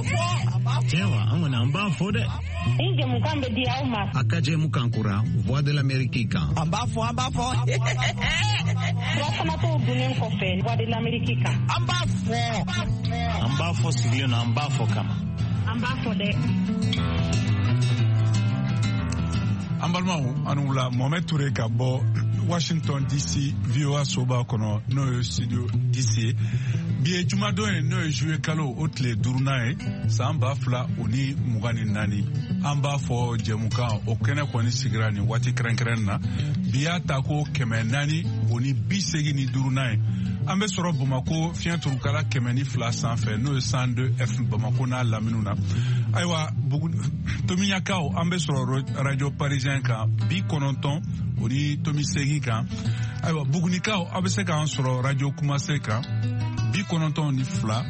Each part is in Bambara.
b'a fɔ. Tiɲɛ wa, an kɔni an b'a fɔ dɛ. Ni jɛmukan bɛ di aw ma. A ka jɛmukan kura Voix de l'Amérique kan. An b'a fɔ, an b'a fɔ. Surafana to dunnen kɔfɛ Voix de l'Amérique kan. An b'a fɔ. An b'a fɔ sigilen na, an b'a fɔ kama. An b'a fɔ dɛ. An balimaw, an wula. Mohamed Touré ka bɔ Washington DC, VOA soba kɔnɔ, n'o ye studio DC. Bi ye jumadon ye, n'o ye juillet kalo o tile duurunan ye, san 2024. An b'a fɔ jɛmukan o kɛnɛ kɔni sigira nin waati kɛrɛnkɛrɛn na. Bi y'a ta ko 485nan ye. An bɛ sɔrɔ Bamako fiɲɛ turukala 102 sanfɛ, n'o ye 102 F, Bamako n'a laminiw na. Ayiwa, Tomiɲakaw, an bɛ sɔrɔ Radio Parisien kan 90.8 kan. Ayiwa, Bugunikaw, aw bɛ se k'an sɔrɔ Radio Kumase kan 92.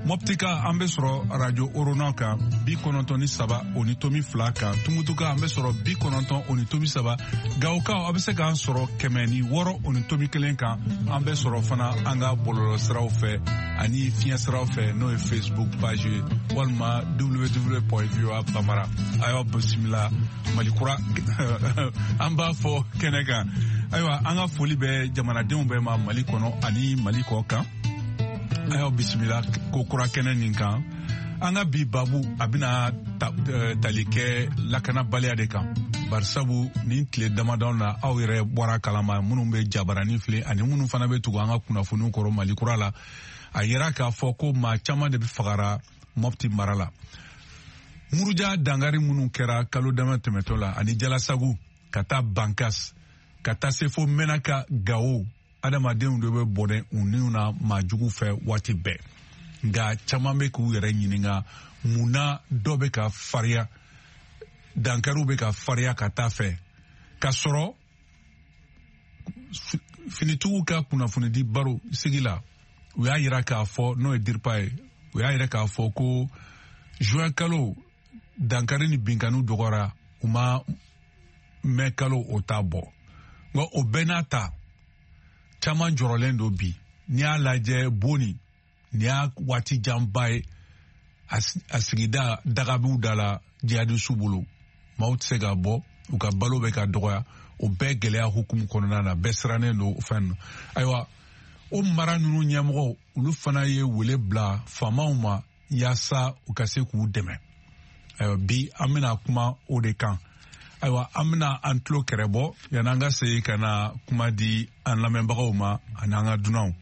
Mɔptika, an bɛ sɔrɔ Radio Orona kan 93.2 kan. Tumutuka, an bɛ sɔrɔ 90.3. Gawokaw, aw bɛ se k'an sɔrɔ 106.1 kan. An bɛ sɔrɔ fana an ka bɔlɔlɔsiraw fɛ ani fiɲɛsiraw fɛ, n'o ye Facebook page ye walima www.voa bambara. A y'aw bisimila Malikura, an b'a fɔ kɛnɛ kan. Ayiwa, an ka foli bɛ jamanadenw bɛɛ ma, Mali kɔnɔ ani Mali kɔ kan. A y'aw bisimila ko kura kɛnɛ nin kan. An ka bi babu, a bɛna tali kɛ lakanabaliya de kan, barisabu nin tile damadɔ na, aw yɛrɛ bɔra kalama, minnu bɛ jabarani filɛ ani minnu fana bɛ tugu an ka kunnafoniw kɔrɔ Mali kura la, a yira k'a fɔ ko maa caman de bɛ fagara Mɔpti mara la. Muruja dangari minnu kɛra kalo dama tɛmɛtɔ la, ani Jalasagu ka taa Bankas, ka taa se fo Mɛnaka, Gawo, adamadenw de bɛ bɔnɛ u niw na maa jugu fɛ waati bɛɛ. Nka caman bɛ k'u yɛrɛ ɲininka mun na dɔ bɛ ka fariya, dankariw bɛ ka fariya ka taa fɛ, ka sɔrɔ finitigiw ka kunnafonidi baro sigi la, u y'a yira k'a fɔ, n'o ye DIRPA ye, u y'a yira k'a fɔ ko juin kalo dankari ni binkaniw dɔgɔyara, u ma mɛ kalo o t'a bɔ. Nka o bɛɛ n'a ta, caman jɔrɔlen don bi. N'i y'a lajɛ, Boni nin y'a waati janba ye, a sigida dagabiw da la jihadisiw bolo, maaw tɛ se ka bɔ, u ka balo bɛ ka dɔgɔya. O bɛɛ gɛlɛya hukumu kɔnɔna na, bɛɛ sirannen don fɛn na. Ayiwa, o mara ninnu ɲɛmɔgɔw, olu fana ye wele bila faamaw ma yaasa u ka se k'u dɛmɛ. Ayiwa, bi an bɛna kuma o de kan. Ayiwa, an bɛna an tulo kɛrɛ bɔ yan'an ka segin ka na kuma di an lamɛnbagaw ma ani an ka dunanw.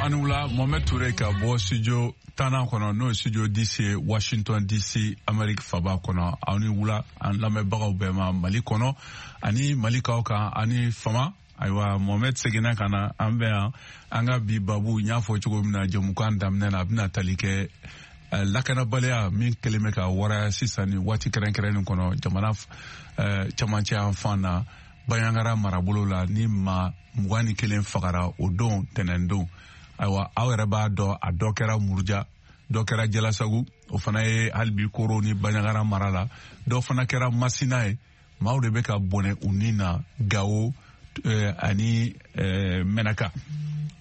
Ani wula, Mohamed Touré ka bɔ studio tannan kɔnɔ, n'o ye studio DC, Washington DC, Amérique faba kɔnɔ. Aw ni wula, an lamɛnbagaw bɛɛ ma Mali kɔnɔ ani Malikaw kan ani fama. Ayiwa, Mohamed seginna ka na an bɛ yan. An ka bi babu, n y'a fɔ cogo min na jɛmukan daminɛ na, a bɛna tali kɛ lakanabaliya min kɛlen bɛ ka waraya sisan ni waati kɛrɛnkɛrɛnnen kɔnɔ jamana camancɛ yan fan na, Bandiagara marabolo la, ni maa 21 fagara o don tɛnɛndon. Ayiwa, aw yɛrɛ b'a dɔn, a dɔ kɛra Muruja, dɔ kɛra Jalasagu, o fana ye hali bi Koro ni Bandiagara mara la, dɔ fana kɛra Masina ye. Maaw de bɛ ka bɔnɛ u ni na Gawo ani Mɛnaka.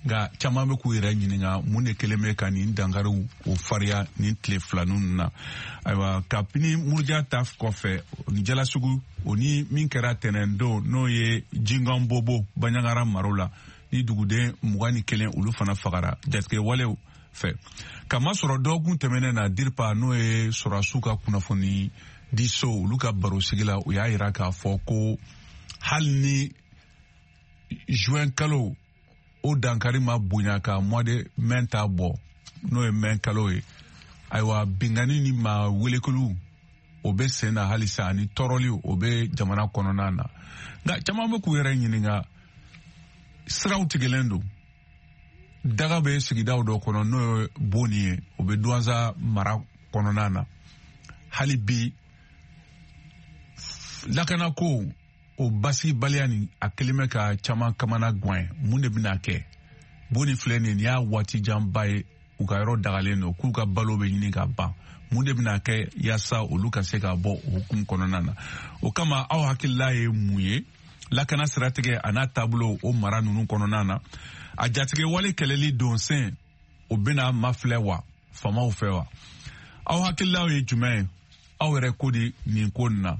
Nka caman bɛ k'u yɛrɛ ɲininka mun de kɛlen bɛ ka nin dankariw o fariya nin tile fila ninnu na. Ayiwa, kabini Muruja ta kɔfɛ ni Jalasugu, o ni min kɛra tɛnɛndon, n'o ye Jingan Bobo, Bandiagara maro la, ni duguden 21 olu fana fagara jatigɛwalew fɛ. Kamasɔrɔ dɔgɔkun tɛmɛnen na, DIRPA, n'o ye sɔrɔdasiw ka kunnafoni di so, olu ka barosigi la, u y'a yira k'a fɔ ko hali ni juin kalo o dankari ma bonya ka mois de mai ta bɔ, n'o ye mai kalo ye, ayiwa, bingani ni maa welekeliw o bɛ sen na halisa, ani tɔɔrɔli o bɛ jamana kɔnɔna na. Nka caman bɛ k'u yɛrɛ ɲininka, siraw tigɛlen don, daga bɛ sigidaw dɔ kɔnɔ, n'o ye Boni ye, o bɛ Duwanza mara kɔnɔna na. Hali bi lakanako o basigibaliya nin, a kɛlen bɛ ka caman kamana gan. Mun de bɛna kɛ? Boni filɛ nin y'a waati janba ye u ka yɔrɔ dagalen don, k'u ka balo bɛ ɲini ka ban. Mun de bɛna kɛ yaasa olu ka se ka bɔ o hukumu kɔnɔna na? O kama, aw hakilila ye mun ye lakana siratigɛ a n'a taabolo o mara ninnu kɔnɔna na? A jatigɛ wale kɛlɛli donsen o bɛna mafilɛ wa faamaw fɛ wa? Aw hakililaw ye jumɛn ye? Aw yɛrɛ ko di nin ko nin na?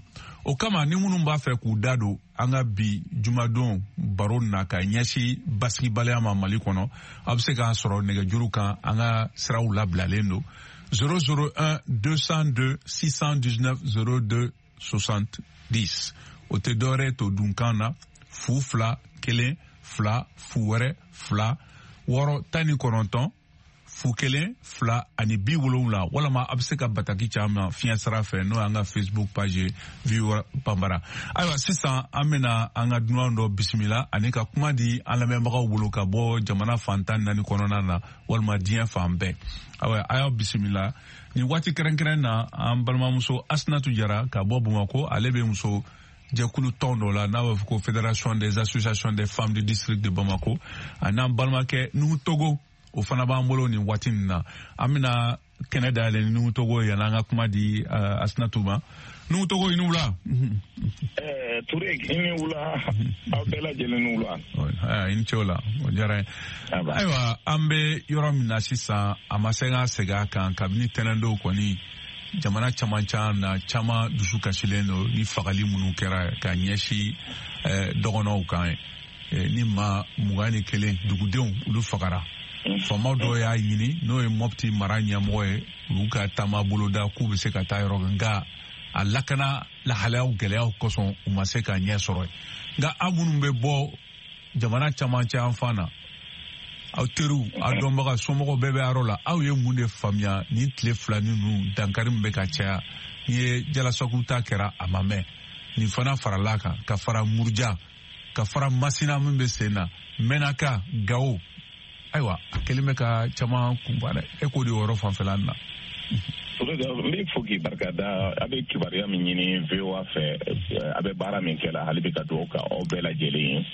O kama, ni minnu b'a fɛ k'u da don an ka bi jumadon baro na ka ɲɛsin basigibaliya ma Mali kɔnɔ, aw bɛ se k'an sɔrɔ nɛgɛjuru kan. An ka siraw labilalen don: 001 202 619 02 70. O tɛ dɔwɛrɛ to dunkan na: 0 2 1 2 0 wɛrɛ 2 6 19 0 1 2 ani 70. Walama a bɛ se ka bataki caman fiɲɛ sira fɛ, n'o y'an ka Facebook page ye, VOA Banbara. Ayiwa, sisan an bɛna an ka dunan dɔ bisimila ani ka kuma di an lamɛnbagaw bolo ka bɔ jamana fan 14 kɔnɔna na walima diɲɛ fan bɛɛ. Ayiwa, a y'aw bisimila nin waati kɛrɛnkɛrɛn na an balimamuso Asinatu Jara ka bɔ Bamakɔ. Ale bɛ muso jɛkulu tɔn dɔ la n'a b'a fɔ ko Fédération des associations des femmes du district de Bamako. Ani an balimakɛ Nuhu Togo, o fana b'an bolo nin waati nin na. An bɛna kɛnɛ dayɛlɛ ni Nuhu Togo ye, yanni an ka kuma di Asinatu ma. Nuhu Togo, i ni wula. Ture, i ni wula, aw bɛɛ lajɛlen ni wula. I ni ce o la, o diyara n ye. Ayiwa, an bɛ yɔrɔ min na sisan, a ma se ka segin a kan, kabini tɛnɛndon kɔni, jamana caman na, caman dusu kasilen don ni fagali minnu kɛra ka ɲɛsin dɔgɔnɔw kan ye, ni maa 21 dugudenw olu fagara. Faamaw dɔw y'a ɲini, n'o ye Mɔpti mara ɲɛmɔgɔ ye, olu ka taama boloda k'u bɛ se ka taa yɔrɔ, nka a lakana lahalayaw gɛlɛyaw kosɔn, u ma se ka ɲɛ sɔrɔ. Nka aw minnu bɛ bɔ jamana camancɛ yan fan na, aw teriw, aw dɔnbaga, somɔgɔw bɛɛ bɛ yɔrɔ la, aw ye mun de faamuya nin tile fila ninnu dankari min bɛ ka caya? N'i ye Jalasagu ta kɛra, a ma mɛn, nin fana farala kan, ka fara Muruja, ka fara Masina min bɛ sen na, Mɛnaka, Gawo. Ayiwa, a kɛlen bɛ ka caman kunba dɛ. E k'o de yɔrɔ fanfɛla na. N b'i fo k'i barika da. A bɛ kibaruya min ɲini VOA fɛ, a bɛ baara min kɛ la, hali bi ka dugawu ka aw bɛɛ lajɛlen ye,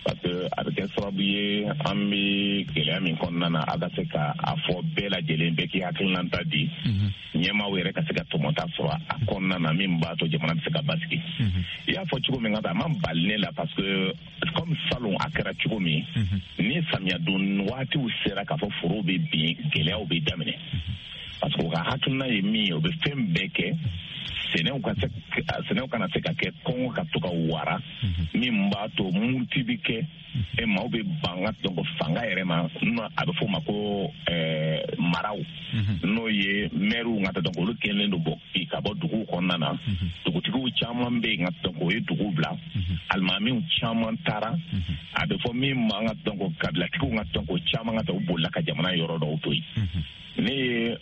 parce que a bɛ kɛ sababu ye, an bɛ gɛlɛya min kɔnɔna na, a ka se ka a fɔ bɛɛ lajɛlen, bɛɛ k'i hakilinata di, ɲɛmaaw yɛrɛ ka se ka tɔmɔta sɔrɔ a kɔnɔna na min b'a to jamana bɛ se ka basigi. I y'a fɔ cogo min ka taa, a ma bali ne la, parce que comme salon a kɛra cogo min, ni samiya don waatiw sera k'a fɔ foro bɛ bin, gɛlɛyaw bɛ daminɛ, parce que u ka hakilina ye min ye, u bɛ fɛn bɛɛ kɛ sɛnɛw ka se, sɛnɛw kana se ka kɛ, kɔngɔ ka to ka wara, min b'a to muruti bɛ kɛ e maaw bɛ ban ka donc fanga yɛrɛ ma. A bɛ f'o ma ko maraw. N'o ye mɛriw ka donc olu kɛlen don bɔ ka bɔ duguw kɔnɔna na. Dugutigiw caman bɛ yen ka donc o ye dugu bila. Alimamiw caman taara. A bɛ fɔ min ma ka donc kabilatigiw ka donc caman ka u bolila ka jamana yɔrɔ dɔw to yen. Ne ye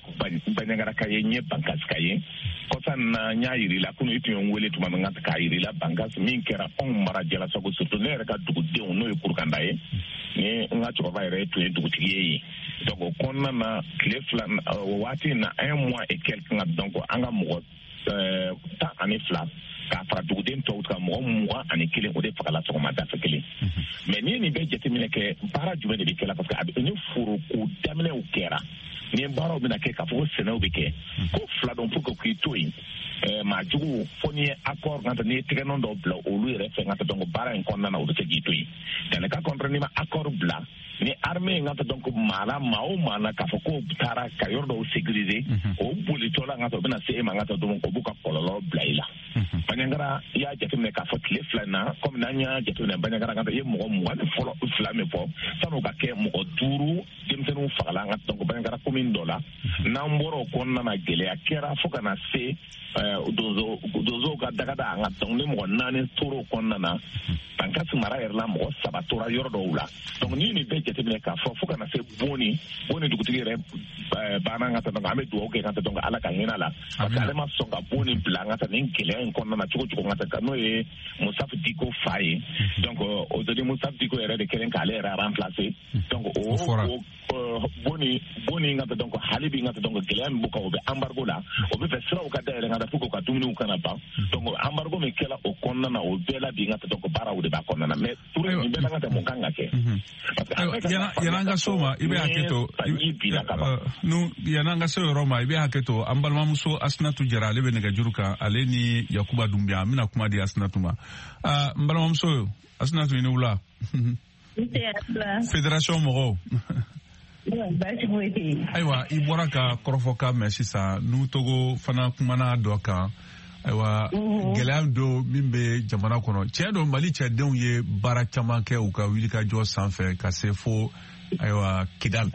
Bandiagaraka ye, n ye Bankasika ye. Kɔsa na n y'a yir'i la kunun, i tun ye n wele tuma min k'a yir'i la Bankas min kɛra anw mara Jalasago, surtout ne yɛrɛ ka dugudenw n'o ye Kurukanda ye, ni n ka cɛkɔrɔba yɛrɛ tun ye dugutigi ye yen. Donc o kɔnɔna na tile 2 o waati in na, un mois et quelque ka donc an ka mɔgɔ 12 k'a fara duguden tɔw kan, mɔgɔ 21 o de fagala sɔgɔmada fɛ kelen. Mais n'i ye nin bɛɛ jateminɛ kɛ, baara jumɛn de bɛ kɛ la? Parce que a bɛ ni foroko daminɛw kɛra, ni baaraw bɛna kɛ k'a fɔ ko sɛnɛw bɛ kɛ, ko fila dɔn pour que k'i to yen maa jugu fo n'i ye accord ka n'i ye tɛgɛnɔ dɔ bila olu yɛrɛ fɛ ka donc baara in kɔnɔna na, u bɛ se k'i to yen. Dans le cas contraire, n'i ma accord bila ni armée in ka donc maa la, maa o maa na k'a fɔ k'o taara ka yɔrɔ dɔw sécuriser, o bolitɔ la ka o bɛna se e ma ka donc o b'u ka kɔlɔlɔ bila i la. Bandiagara, i y'a jateminɛ k'a fɔ tile 2 in na, komi n'an y'a jateminɛ Bandiagara ka i ye mɔgɔ 22 min fɔ, san'o ka kɛ mɔgɔ 5 denmisɛnninw fagala an ka donc Bandiagara commune dɔ la. N'an bɔra o kɔnɔna na, gɛlɛya kɛra fo ka na se donsow ka dagada an ka donc ni mɔgɔ 4 tora o kɔnɔna na. Bankasi mara yɛrɛ la, mɔgɔ 3 tora yɔrɔ dɔw la. Donc n'i nin bɛɛ jateminɛ k'a fɔ fo ka na se Boni dugutigi yɛrɛ banna ka taa, donc an bɛ dugawu kɛ ka taa donc Ala ka hinɛ la, parce que ale ma sɔn ka Boni bila an ka taa nin gɛlɛya in kɔnɔna na cogo cogo ka taa, n'o ye Moussa Diko fa ye. Donc aujourd'hui Moussa Diko yɛrɛ de kɛlen k'ale yɛrɛ remplacer. Donc o Boni ka taa donc hali bi ka taa donc gɛlɛya min b'u kan, o bɛ embargo la, o bɛ fɛ siraw ka dayɛlɛ ka taa pour que u ka dumuniw kana ban. Donc embargo min kɛla o kɔnɔna na, o bɛɛ la bi ka taa donc baaraw de b'a kɔnɔna na. Mais Touré, nin bɛɛ la ka taa mun kan ka kɛ? Yan'an ka s'o ma, i bɛ hakɛ to yan'an ka se o yɔrɔ ma, i bɛ hakɛ to an balimamuso Asinatu Jara, ale bɛ nɛgɛjuru kan, ale ni Yakuba Dunbiya. An bɛna kuma di Asinatu ma. N balimamuso Asinatu, i ni wula. Fédération mɔgɔw. Ayiwa, i bɔra ka kɔrɔfɔkan mɛn sisan, n'u Togo fana kumana dɔ kan. Ayiwa, gɛlɛya dɔ min bɛ jamana kɔnɔ, tiɲɛ don Mali cɛdenw ye baara caman kɛ u ka wulikajɔ sanfɛ ka se fo ayiwa Kidal,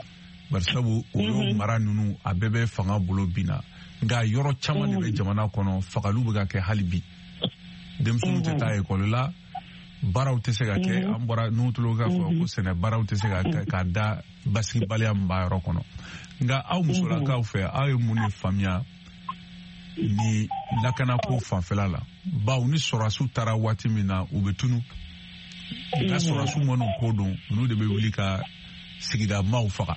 barisabu o y'o mara ninnu a bɛɛ bɛ fanga bolo bin na. Nka yɔrɔ caman de bɛ jamana kɔnɔ, fagaliw bɛ ka kɛ hali bi, denmisɛnninw tɛ taa ekɔli la, baaraw tɛ se ka kɛ. An bɔra n'u tulo k'a fɔ ko sɛnɛ baaraw tɛ se ka kɛ k'a da basigibaliya min b'a yɔrɔ kɔnɔ. Nka aw musolakaw fɛ, aw ye mun de faamuya ni lakanako fanfɛla la? Bawo ni sɔrɔdasiw taara waati min na, u bɛ tunu, nka sɔrɔdasiw minnu ko don, olu de bɛ wuli ka sigida maaw faga.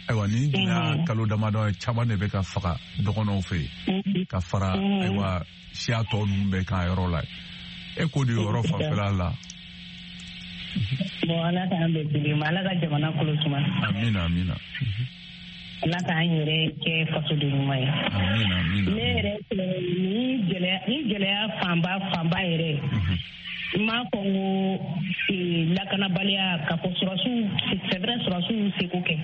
Ayiwa, ni diɲɛ kalo damadɔ ye, caman de bɛ ka faga dɔgɔnɔw fɛ yen ka fara ayiwa siya tɔ ninnu bɛɛ kan yɔrɔ la. E k'o de yɔrɔ fanfɛla la. Bon, Ala k'an bɛn kelen ma, Ala ka jamana kolo suma. Amina, amina. Ala k'an yɛrɛ kɛ fasoden ɲuman ye. Amina, amina. Ne yɛrɛ fɛ, ni gɛlɛya fanba yɛrɛ, n m'a fɔ n ko lakanabaliya ka fɔ sɔrɔsiw, c'est vrai sɔrɔsiw y'u seko kɛ,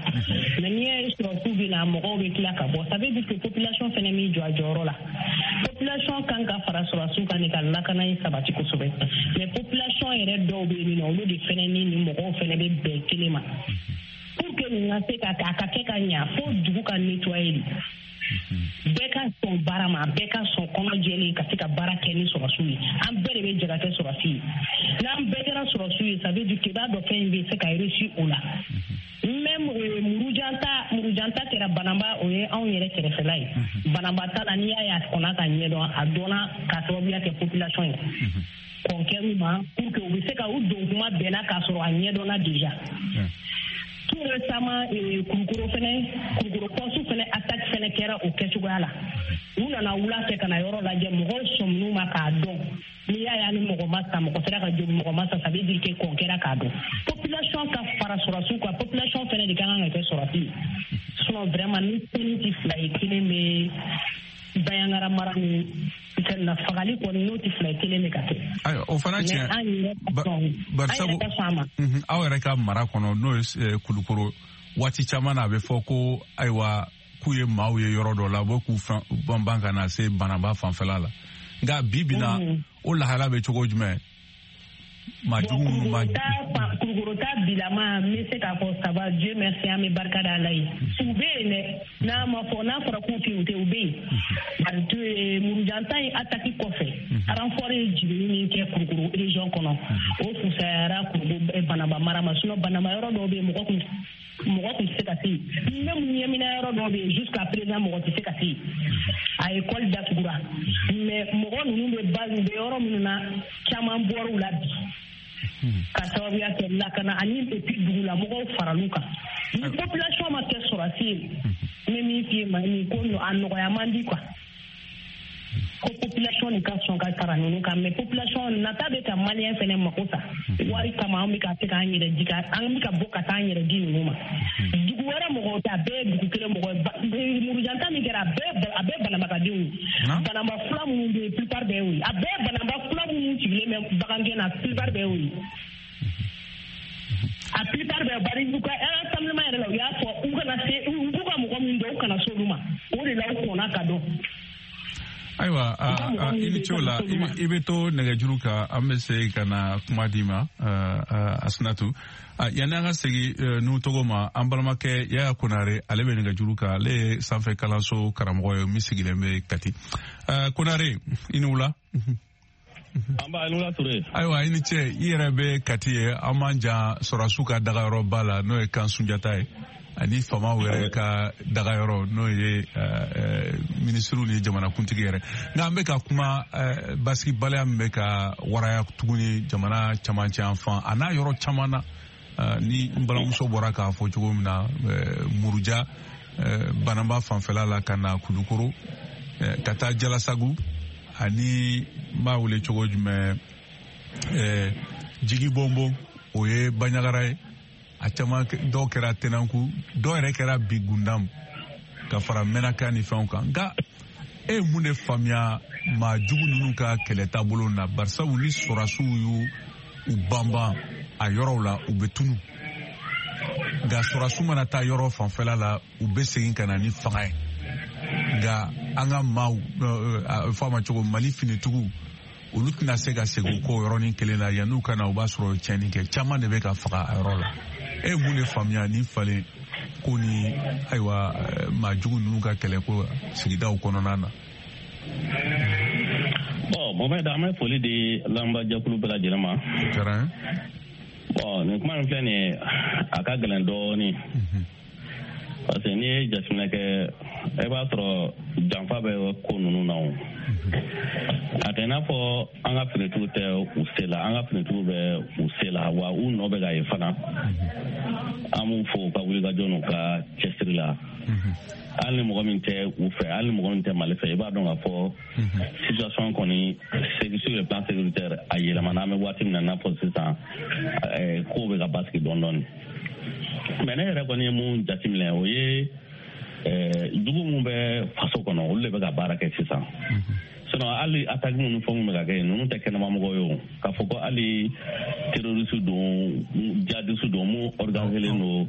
mais n'i y'a ye sɔrɔsiw bɛ na, mɔgɔw bɛ tila ka bɔ, ça veut dire que population fɛnɛ m'i jɔ a jɔyɔrɔ la. Population kan ka fara sɔrɔsiw kan de ka lakana in sabati kosɛbɛ, mais population yɛrɛ dɔw bɛ yen nɔ, olu de fɛnɛ ni nin mɔgɔw fɛnɛ bɛ bɛn kelen ma. Pour que nin ka se ka a ka kɛ ka ɲa, fo dugu ka nettoyer de. Bɛɛ ka sɔn baara ma, bɛɛ ka sɔn kɔnɔ jɛlen ka se ka baara kɛ ni sɔrɔsiw ye. An bɛɛ de bɛ jɛ ka kɛ sɔrɔsi ye. N'an bɛɛ kɛra sɔrɔsiw ye, ça veut dire que i b'a dɔn fɛn in bɛ se ka réussir o la. Même murujanta kɛra Banamba, o ye anw yɛrɛ kɛrɛfɛla ye. Banamba ta la, n'i y'a ye a kɔnna ka ɲɛdɔn, a dɔnna k'a sababuya kɛ population ye. Kɔn kɛr'u ma pour que u bɛ se ka u don kuma bɛnna k'a sɔrɔ a ɲɛdɔnna déjà. Tout récemment, Kulukoro fɛnɛ, Kulukoro poste fɛnɛ attaque fɛnɛ kɛra o kɛcogoya la. U nana wula fɛ ka na yɔrɔ lajɛ, mɔgɔw sɔmin'u ma k'a dɔn. N'i y'a ye ani mɔgɔ ma sa, mɔgɔ sera ka jogin, mɔgɔ ma sa, ça veut dire que kɔn kɛra k'a dɔn. Population ka fara sɔrɔsiw kan, population fɛnɛ de ka kan ka kɛ sɔrɔsi ye. Sinon vraiment ni kelen tɛ fila ye, kelen bɛ Bandiagara mara ni fɛn na, fagali kɔni n'o tɛ fila ye, kelen bɛ ka kɛ. Ayiwa, o fana tiɲɛ. Barisabu aw yɛrɛ ka mara kɔnɔ, n'o ye Kulukoro, waati caman na a bɛ fɔ ko ayiwa k'u ye maaw ye yɔrɔ dɔ la, u bɛ k'u banban ka na se Banamba fanfɛla la. Nka bi bi na, o lahala bɛ cogo jumɛn? Maa jugu minnu b'a. Kulukoro Kulukoro ta bilama, n bɛ se k'a fɔ ça va, Dieu merci, an bɛ barika da Ala ye. U bɛ yen dɛ, n'a ma fɔ, n'a fɔra k'u tɛ yen, u tɛ, u bɛ yen. Bari Murujanta in attaque kɔfɛ, renfort ye jiginni min kɛ Kulukoro région kɔnɔ, o fusayara Kulukoro Banamba mara ma. Sinon Banamba yɔrɔ dɔw bɛ yen, mɔgɔ kun tɛ se ka se yen. Même Ɲɛmina yɔrɔ dɔw bɛ yen, jusqu'à présent mɔgɔ tɛ se ka se yen. A école datugura, mais mɔgɔ ninnu bɛ base bɛ yɔrɔ minnu na, caman bɔr'u la bi ka sababuya kɛ lakana ani et puis dugulamɔgɔw faral'u kan. Ni population ma kɛ sɔrɔsi ye, n bɛ min f'i ye, ma nin ko a nɔgɔya man di quoi. Ko population de ka sɔn ka fara ninnu kan, mais population nata bɛ ka malien fɛnɛ mako sa wari kama. An bɛ ka se k'an yɛrɛ di, an bɛ ka bɔ ka taa an yɛrɛ di ninnu ma. Dugu wɛrɛ mɔgɔw tɛ, a bɛɛ ye dugu kelen mɔgɔ ye. Murujanta min kɛra, a bɛɛ Banambakadenw ye. Banamba fula minnu bɛ yen, plupart bɛɛ y'o ye. A bɛɛ Banamba fula minnu sigilen bɛ bagangɛn na, plupart bɛɛ y'o ye. A plupart bɛɛ, bari u ka rassemblement yɛrɛ la, u y'a fɔ u kana se, u b'u ka mɔgɔ min dɔn, u kana s'olu ma. O de la u kɔnna ka dɔn. Ayiwa, i ni ce o la. I bɛ to nɛgɛjuru kan, an bɛ se ka na kuma d'i ma, Asinatu. Yanni an ka segin n'u tɔgɔ ma, an balimakɛ Yaya Konare, ale bɛ nɛgɛjuru kan. Ale ye sanfɛ kalanso karamɔgɔ ye min sigilen bɛ Kati. Konare, i ni wula. An b'a ni wula, Ture. Ayiwa, i ni ce. I yɛrɛ bɛ Kati ye, an b'an jan sɔrɔsiw ka dagayɔrɔba la, n'o ye kan Sunjata ye, ani faamaw yɛrɛ ka dagayɔrɔ, n'o ye minisiriw ni jamanakuntigi yɛrɛ. Nka an bɛ ka kuma basigibaliya min bɛ ka waraya tuguni jamana camancɛ yan fan a n'a yɔrɔ caman na, ni n balimamuso bɔra k'a fɔ cogo min na, Muruja, Banamba fanfɛla la, ka na Kulukoro, ka taa Jalasagu, ani n b'a wele cogo jumɛn, Jigi Bɔnbɔn, o ye Baɲagara ye. A caman dɔw kɛra Tɛnɛnku, dɔw yɛrɛ kɛra bi Gundam, ka fara Mɛnaka ni fɛnw kan. Nka e ye mun de faamuya maa jugu ninnu ka kɛlɛ taabolo na? Barisabu ni sɔrɔsiw y'u u banban a yɔrɔw la, u bɛ tunu. Nka sɔrɔsiw mana taa yɔrɔ fanfɛla la, u bɛ segin ka na ni fanga ye. Nka an ka maaw, a bɛ fɔ a ma cogo, Mali finitigiw, olu tɛna se ka segin o kɔ yɔrɔnin kelen na. Yan'u ka na, u b'a sɔrɔ tiɲɛni kɛ caman de bɛ ka faga a yɔrɔ la. E ye mun de faamuya ni falen ko ni, ayiwa, maa jugu ninnu ka kɛlɛ ko sigidaw kɔnɔna na? Bon, Mohamed, an bɛ foli di lamɛnbaajɛkulu bɛɛ lajɛlen ma. Bon, nin kuma in filɛ nin ye, a ka gɛlɛn dɔɔnin, parce que n'i ye jateminɛ kɛ, e b'a sɔrɔ janfa bɛ ko ninnu na. O a tɛ i n'a fɔ an ka finitigiw tɛ u se la. An ka finitigiw bɛ u se la, wa u nɔ bɛ ka ye fana. An b'u fo u ka wulikajɔ n'u ka cɛsiri la. Hali ni mɔgɔ min tɛ u fɛ, hali ni mɔgɔ min tɛ Mali fɛ, i b'a dɔn k'a fɔ situation kɔni sur le plan sécuritaire, a yɛlɛmana. An bɛ waati min na, i n'a fɔ sisan, kow bɛ ka basigi dɔɔni dɔɔni. Mais ne yɛrɛ kɔni ye mun jateminɛ, o ye jugu mun bɛ faso kɔnɔ, olu de bɛ ka baara kɛ sisan. Sinon hali attaque minnu, fɛn minnu bɛ ka kɛ, ninnu tɛ kɛnɛmamɔgɔ ye. O k'a fɔ ko hali terroriste don, djihadiste don, mun organisé don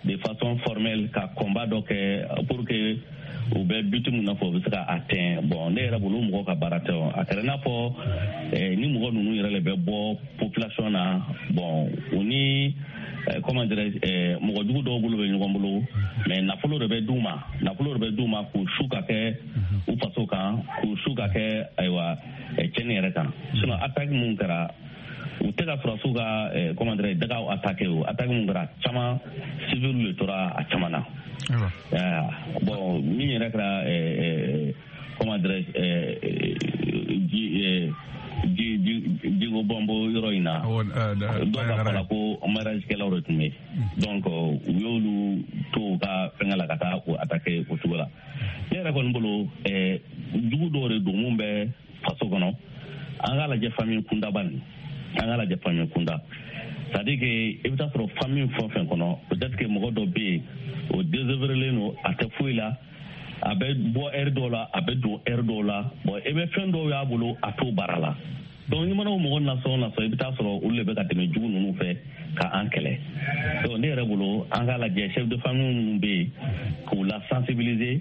de façon formelle ka combat dɔ kɛ pour que u bɛ but mun nɔfɛ, u bɛ se ka atteindre. Bon, ne yɛrɛ bolo, mɔgɔw ka baara tɛ. O a kɛra i n'a fɔ ni mɔgɔ ninnu yɛrɛ de bɛ bɔ population na. Bon, u ni, comment dirais, mɔgɔ jugu dɔw bolo bɛ ɲɔgɔn bolo, mais nafolo de bɛ d'u ma, nafolo de bɛ d'u ma k'u su ka kɛ u faso kan, k'u su ka kɛ, ayiwa, cɛnni yɛrɛ kan. Sinon attaque mun kɛra, u tɛ ka sɔrɔsiw ka, comment dirais, dagaw attaqué. O attaque mun kɛra, caman civil de tora a caman na. Bon, min yɛrɛ kɛra, comment dirais, ji ji jigo bɔnbɔ yɔrɔ in na, dɔw ka fɔ la ko mariage kɛlaw de tun bɛ. Donc u y'olu to u ka fɛngɛ la ka taa o attaqué o cogo la. Ne yɛrɛ kɔni bolo, jugu dɔw de don mun bɛ faso kɔnɔ. An k'a lajɛ famille kundaba nin, an k'a lajɛ famille kunda, c'est à dire que i bɛ taa sɔrɔ famille fɛn o fɛn kɔnɔ, peut-être que mɔgɔ dɔ bɛ yen, o désœuvré don, a tɛ foyi la, a bɛ bɔ heure dɔw la, a bɛ don heure dɔw la. Bon, i bɛ fɛn dɔw y'a bolo, a t'o baara la. Donc n'i mana o mɔgɔ nasɔn nasɔn, i bɛ taa sɔrɔ olu de bɛ ka tɛmɛ jugu ninnu fɛ ka an kɛlɛ. Donc ne yɛrɛ bolo, an k'a lajɛ chef de famille minnu bɛ yen, k'u la sensibiliser.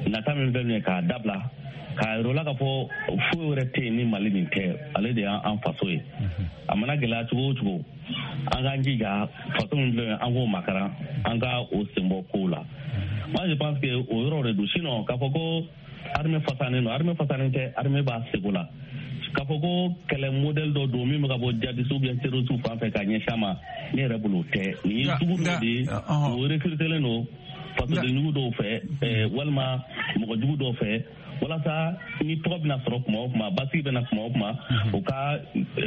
Nata min filɛ nin ye k'a dabila, k'a yir'u la k'a fɔ foyi wɛrɛ tɛ yen ni Mali nin tɛ, ale de y'an faso ye. A mana gɛlɛya cogo o cogo, an k'an jija, faso min filɛ nin ye, an k'o makaran, an ka o senbɔ kow la. Moi, je pense que o yɔrɔ de don. Sinon, k'a fɔ ko armée fasanen don, armée fasanen tɛ, armée b'a seko la. K'a fɔ ko kɛlɛ modèle dɔ don min bɛ ka bɔ djihadiste ou bien terroriste fan fɛ ka ɲɛsin a ma, ne yɛrɛ bolo o tɛ. Nin ye jugu dɔ de ye, o recrutelen don fasoden jugu dɔw fɛ walima mɔgɔ jugu dɔw fɛ, walasa ni tɔgɔ bɛna sɔrɔ kuma o kuma, basigi bɛna kuma o kuma, u ka,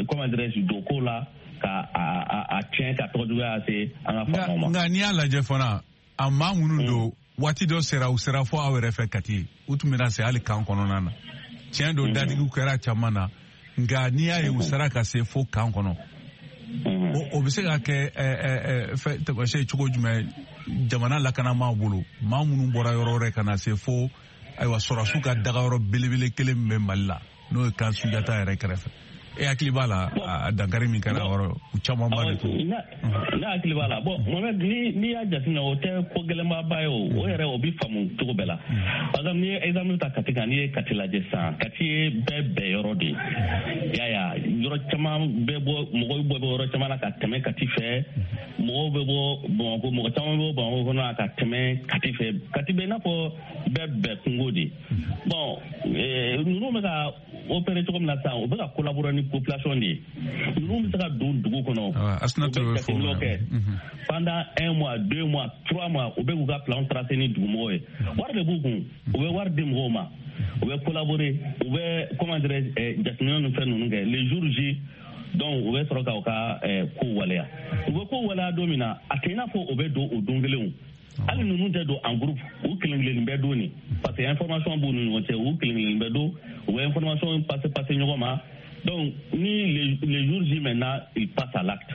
comment dirais-je, don ko la ka a tiɲɛ, ka tɔgɔ juguya se an ka faamaw ma. Nka n'i y'a lajɛ fana, a maa minnu don, waati dɔ sera, u sera fo aw yɛrɛ fɛ Kati, u tun bɛna se hali camp kɔnɔna na. Tiɲɛ don, dadigiw kɛra caman na, nka n'i y'a ye u sera ka se fo camp kɔnɔ, o bɛ se ka kɛ fɛn taamasiyɛn cogo jumɛn jamana lakanamaaw bolo, maa minnu bɔra yɔrɔ wɛrɛ ka na se fo, ayiwa, sɔrɔsiw ka dagayɔrɔ belebele kelen min bɛ Mali la, n'o ye camp Sunjata yɛrɛ kɛrɛfɛ? E hakili b'a la, a dankari min kɛra yɔrɔ, u camanba de to. Ne hakili b'a la. Bon, Mohamed, n'i y'a jateminɛ, o tɛ ko gɛlɛnbaba ye. O yɛrɛ, o bɛ faamu cogo bɛɛ la. Par exemple, n'i ye exemple ta Kati kan, n'i ye Kati lajɛ sisan, Kati ye bɛɛ bɛn yɔrɔ de ye. I y'a ye, yɔrɔ caman bɛ bɔ, mɔgɔw bɛ bɔ yɔrɔ caman na ka tɛmɛ Kati fɛ, mɔgɔw bɛ bɔ Bamakɔ, mɔgɔ caman bɛ bɔ Bamakɔ kɔnɔ ka tɛmɛ Kati fɛ. Kati bɛ i n'a fɔ bɛɛ bɛn kungo de. Bon, ninnu bɛ ka opérer cogo min na sisan, u bɛ ka collaborer ni population de ye. Ninnu bɛ se ka don dugu kɔnɔ, u bɛ jateminɛw kɛ pendant un mois, 2 mois, 3 mois, u bɛ k'u ka plan tracer ni dugumɔgɔw ye. Wari de b'u kun, u bɛ wari di mɔgɔw ma, u bɛ collaborer, u bɛ, comment dirais, jateminɛ ni fɛn ninnu kɛ. Les jours J donc, u bɛ sɔrɔ k'u ka kow waleya. U bɛ kow waleya don min na, a tɛ i n'a fɔ o bɛ don o don kelenw. Hali ninnu tɛ don en groupe, u kelen kelen bɛ don nin, parce que information b'u ni ɲɔgɔn cɛ. U kelen kelen bɛ don, u bɛ information passer passer ɲɔgɔn ma. Donc ni les jours J maintenant, ils passent à l'acte.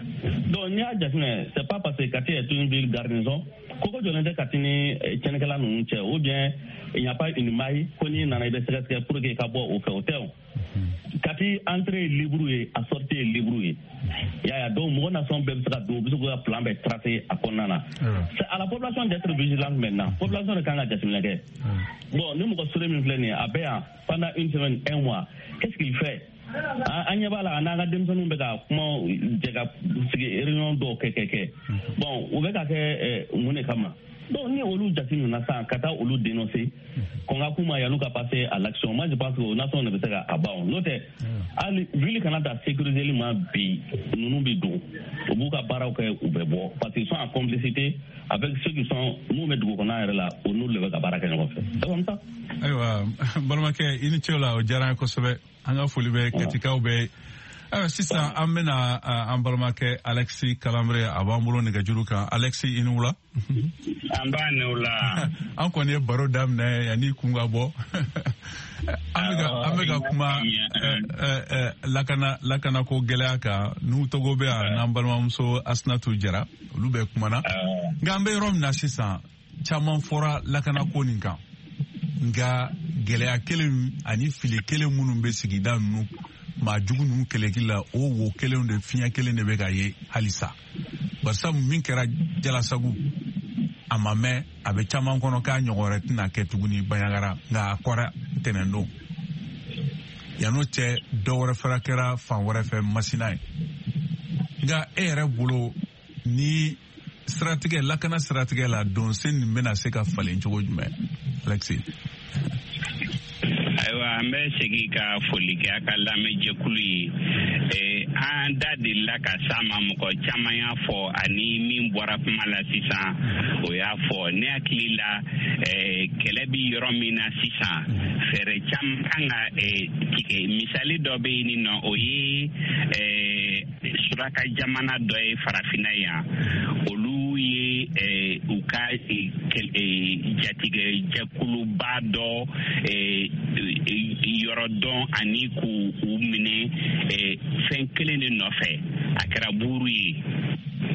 Donc n'i y'a jateminɛ, c'est pas parce que Kati est une ville garnison koko jɔlen tɛ Kati ni tiɲɛnikɛla ninnu cɛ, ou bien il n'y a pas une maille ko n'i nana, i bɛ sɛgɛsɛgɛ pour que i ka bɔ o fɛ, o tɛ. O Kati entrée ye libre ye, a sortie ye libre ye, i y'a ye. Donc mɔgɔ nasɔn bɛɛ bɛ se ka don, u bɛ se k'u ka plan bɛɛ tracer a kɔnɔna na. C'est à la population d'être vigilante maintenant. Population de kan ka jateminɛ kɛ. Bon, ni mɔgɔ sure min filɛ nin ye, a bɛ yan pendant une semaine, un mois, qu'est-ce qu'il fait? An ɲɛ b'a la, a n'an ka denmisɛnninw bɛ ka kuma jɛ, ka sigi, réunion dɔw kɛ. Bon, u bɛ ka kɛ mun de kama? Donc ni olu jate nana sisan ka taa olu dénoncer, kɔn ka k'u ma yan'u ka passer à l'action, moi je pense que o nation de bɛ se ka a ban. N'o tɛ, hali ville kana ta sécuriser ma bi, ninnu bɛ don, u b'u ka baaraw kɛ, u bɛ bɔ, parce qu'ils sont en complicité avec ceux qui sont mun bɛ dugu kɔnɔ yɛrɛ la, o n'olu de bɛ ka baara kɛ ɲɔgɔn fɛ. C'est comme ça. Ayiwa, balimakɛ, i ni ce o la, o diyara an ye kosɛbɛ. An ka foli bɛ Katikaw bɛɛ. Ayiwa, sisan an bɛna an balimakɛ Alexis Kalanbre, a b'an bolo nɛgɛjuru kan. Alexis, i ni wula. An b'a ni wula. An kɔni ye baro daminɛ yanni kun ka bɔ. An bɛ ka kuma lakanako gɛlɛya kan. N'u Togo bɛ yan, n'an balimamuso Asinatu Jara, olu bɛ kumana. Nka an bɛ yɔrɔ min na sisan, caman fɔra lakanako nin kan, nka gɛlɛya kelen ani fili kelen minnu bɛ sigida ninnu maa jugu ninnu kɛlɛkili la, o wo kelenw de, fiɲɛ kelen de bɛ ka ye halisa. Barisabu min kɛra Jalasagu, a ma mɛn, a bɛ caman kɔnɔ k'a ɲɔgɔn wɛrɛ tɛna kɛ tuguni Banjagara, nka a kɔra tɛnɛndon. Yan'o cɛ, dɔ wɛrɛ fana kɛra fan wɛrɛ fɛ, Masina ye. Nka e yɛrɛ bolo, ni siratigɛ lakana siratigɛ la, donsen nin bɛna se ka falen cogo jumɛn, Alexis? Ayiwa, an bɛ segin ka foli kɛ a ka lamɛnjɛkulu ye. An da delila ka s'a ma, mɔgɔ caman y'a fɔ, ani min bɔra kuma la sisan, o y'a fɔ. Ne hakili la, kɛlɛ bi yɔrɔ min na sisan, fɛɛrɛ caman kan ka tigɛ. Misali dɔ bɛ yen nɔ, o ye suraka jamana dɔ ye farafinna yan. Olu ye u ka jatigɛ jɛkuluba dɔ yɔrɔ dɔn ani k'u u minɛ fɛn kelen de nɔfɛ. A kɛra buuru ye,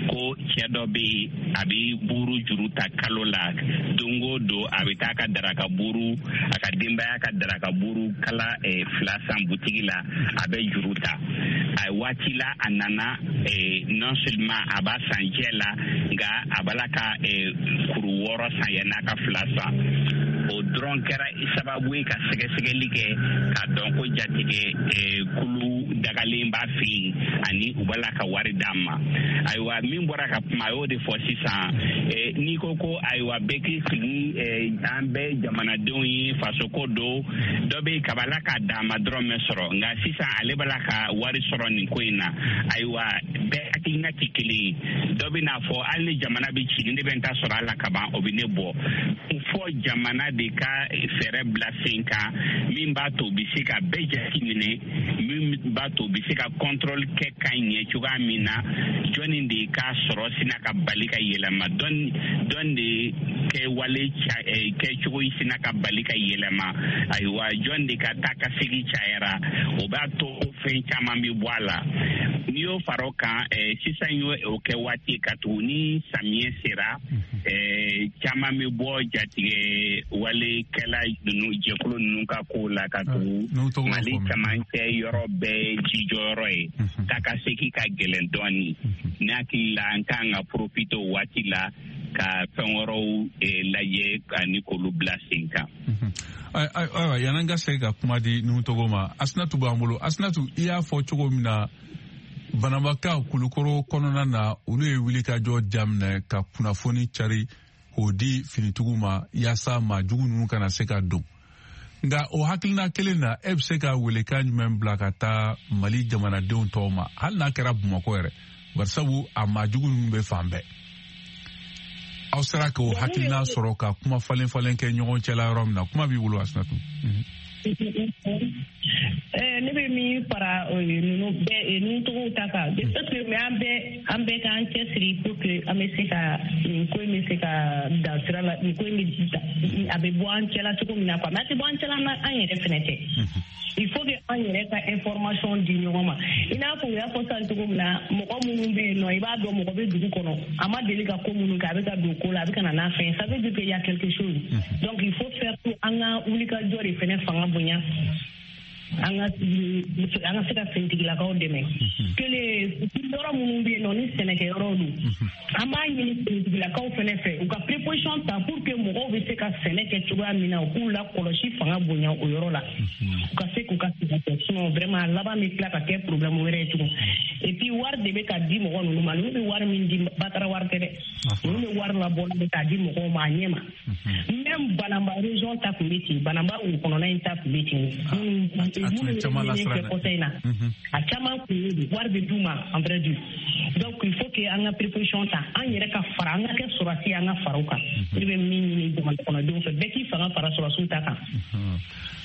ko cɛ dɔ bɛ yen, a bɛ buuru juru ta kalo la, don o don a bɛ taa ka daraka buuru, a ka denbaya ka daraka buuru kala 2 san butigi la, a bɛ juru ta. A waati la, a nana, non seulement a b'a san jɛ la, nka a b'a la ka kuru 6 san yann'a ka 2 san. O dɔrɔn kɛra sababu ye ka sɛgɛsɛgɛli kɛ k'a dɔn ko jatigɛ kulu dagalen b'a fɛ yen ani u b'a la ka wari d'an ma. Ayiwa, min bɔra ka kuma, a y'o de fɔ sisan. N'i ko ko ayiwa, bɛɛ k'i sigi, an bɛɛ jamanadenw ye, fasoko don, dɔ bɛ yen kabala k'a d'a ma dɔrɔn mɛ sɔrɔ, nka sisan ale b'a la ka wari sɔrɔ nin ko in na. Ayiwa, bɛɛ hakilina tɛ kelen ye. Dɔ bɛ n'a fɔ hali ni jamana bɛ ci, ni ne bɛ n ta sɔrɔ a la kaban, o bɛ ne bɔ. Fɔ jamana de ka fɛɛrɛ bila sen kan min b'a to u bɛ se ka bɛɛ jate minɛ, min b'a to u bɛ se ka contrôle kɛ ka ɲɛ cogoya min na, jɔnni de ka sɔrɔ sina ka bali ka yɛlɛma, dɔn de kɛwale kɛcogo sina ka bali ka yɛlɛma, ayiwa, jɔn de ka taa ka segin cayara, o b'a to fɛn caman bɛ bɔ a la. N'i y'o fara o kan, sisan y'o kɛ waati ka tugu ni samiyɛ sera, caman bɛ bɔ jatigɛ walekɛla ninnu jɛkulu ninnu ka ko la, ka tugu Mali camancɛ yɔrɔ bɛɛ jijɔyɔrɔ ye, taa ka segin ka gɛlɛn dɔɔni. Ne hakili la, an kan ka profiter o waati la ka fɛn wɛrɛw lajɛ ani k'olu bila sen kan. Ayiwa, yan'an ka segin ka kuma di Nuhu Togo ma, Asinatu b'an bolo. Asinatu, i y'a fɔ cogo min na, Banabakaw Kulukoro kɔnɔna na, olu ye wulikajɔ daminɛ ka kunnafoni cari k'o di finitigiw ma yaasa maa jugu ninnu kana se ka don. Nka o hakilina kelen na, e bɛ se ka welekan jumɛn bila ka taa Mali jamanadenw tɔw ma, hali n'a kɛra Bamakɔ yɛrɛ, barisabu a maa jugu ninnu bɛ fan bɛɛ? Aw sera k'o hakilina sɔrɔ ka kuma falen falen kɛ ɲɔgɔn cɛla yɔrɔ min na, kuma b'i bolo, Asinatu. Ne bɛ min fara ninnu bɛɛ ninnu tɔgɔw ta kan, parce que mais an bɛɛ k'an cɛsiri pour que an bɛ se ka nin ko in bɛ se ka dan sira la, nin ko in bɛ a bɛ bɔ an cɛla cogo min na quoi. Mais a tɛ bɔ an cɛla an yɛrɛ fɛnɛ tɛ. Il faut que an yɛrɛ ka information di ɲɔgɔn ma. I n'a fɔ u y'a fɔ sisan cogo min na, mɔgɔ minnu bɛ yen nɔ, i b'a dɔn mɔgɔ bɛ dugu kɔnɔ, a ma deli ka ko minnu kɛ, a bɛ ka don ko la, a bɛ ka na n'a fɛn, ça veut dire qu'il y a quelque chose. Donc il faut faire tout, an ka wulikajɔ de fɛnɛ fanga bonya, an ka se ka finitigilakaw dɛmɛ. Kelen, yɔrɔ minnu bɛ yen nɔ ni sɛnɛkɛyɔrɔw don, an b'a ɲini finitigilakaw fɛnɛ fɛ u ka préposition ta pour que mɔgɔw bɛ se ka sɛnɛ kɛ cogoya min na, u k'u lakɔlɔsi fanga bonya o yɔrɔ la, u ka se k'u ka sɛnɛ kɛ. Sinon vraiment a laban bɛ tila ka kɛ problème wɛrɛ ye tugun. Et puis wari de bɛ ka di mɔgɔ ninnu ma, ninnu bɛ wari min di, batara wari tɛ dɛ, ninnu bɛ wari labɔ de k'a di mɔgɔw ma a ɲɛ ma. Même Banamba région ta tun bɛ ten, Banamba wo kɔnɔna in ta tun bɛ ten, minnu kɛ kɔsa in na, a caman kun ye wari bɛ d'u ma en vrai dire. Donc il faut que an ka préposition ta, an yɛrɛ ka fara, an ka kɛ sɔrɔsi, an ka fara u kan. Ne bɛ min ɲini jamana kɔnɔdenw fɛ, bɛɛ k'i fanga fara sɔrɔsiw ta kan.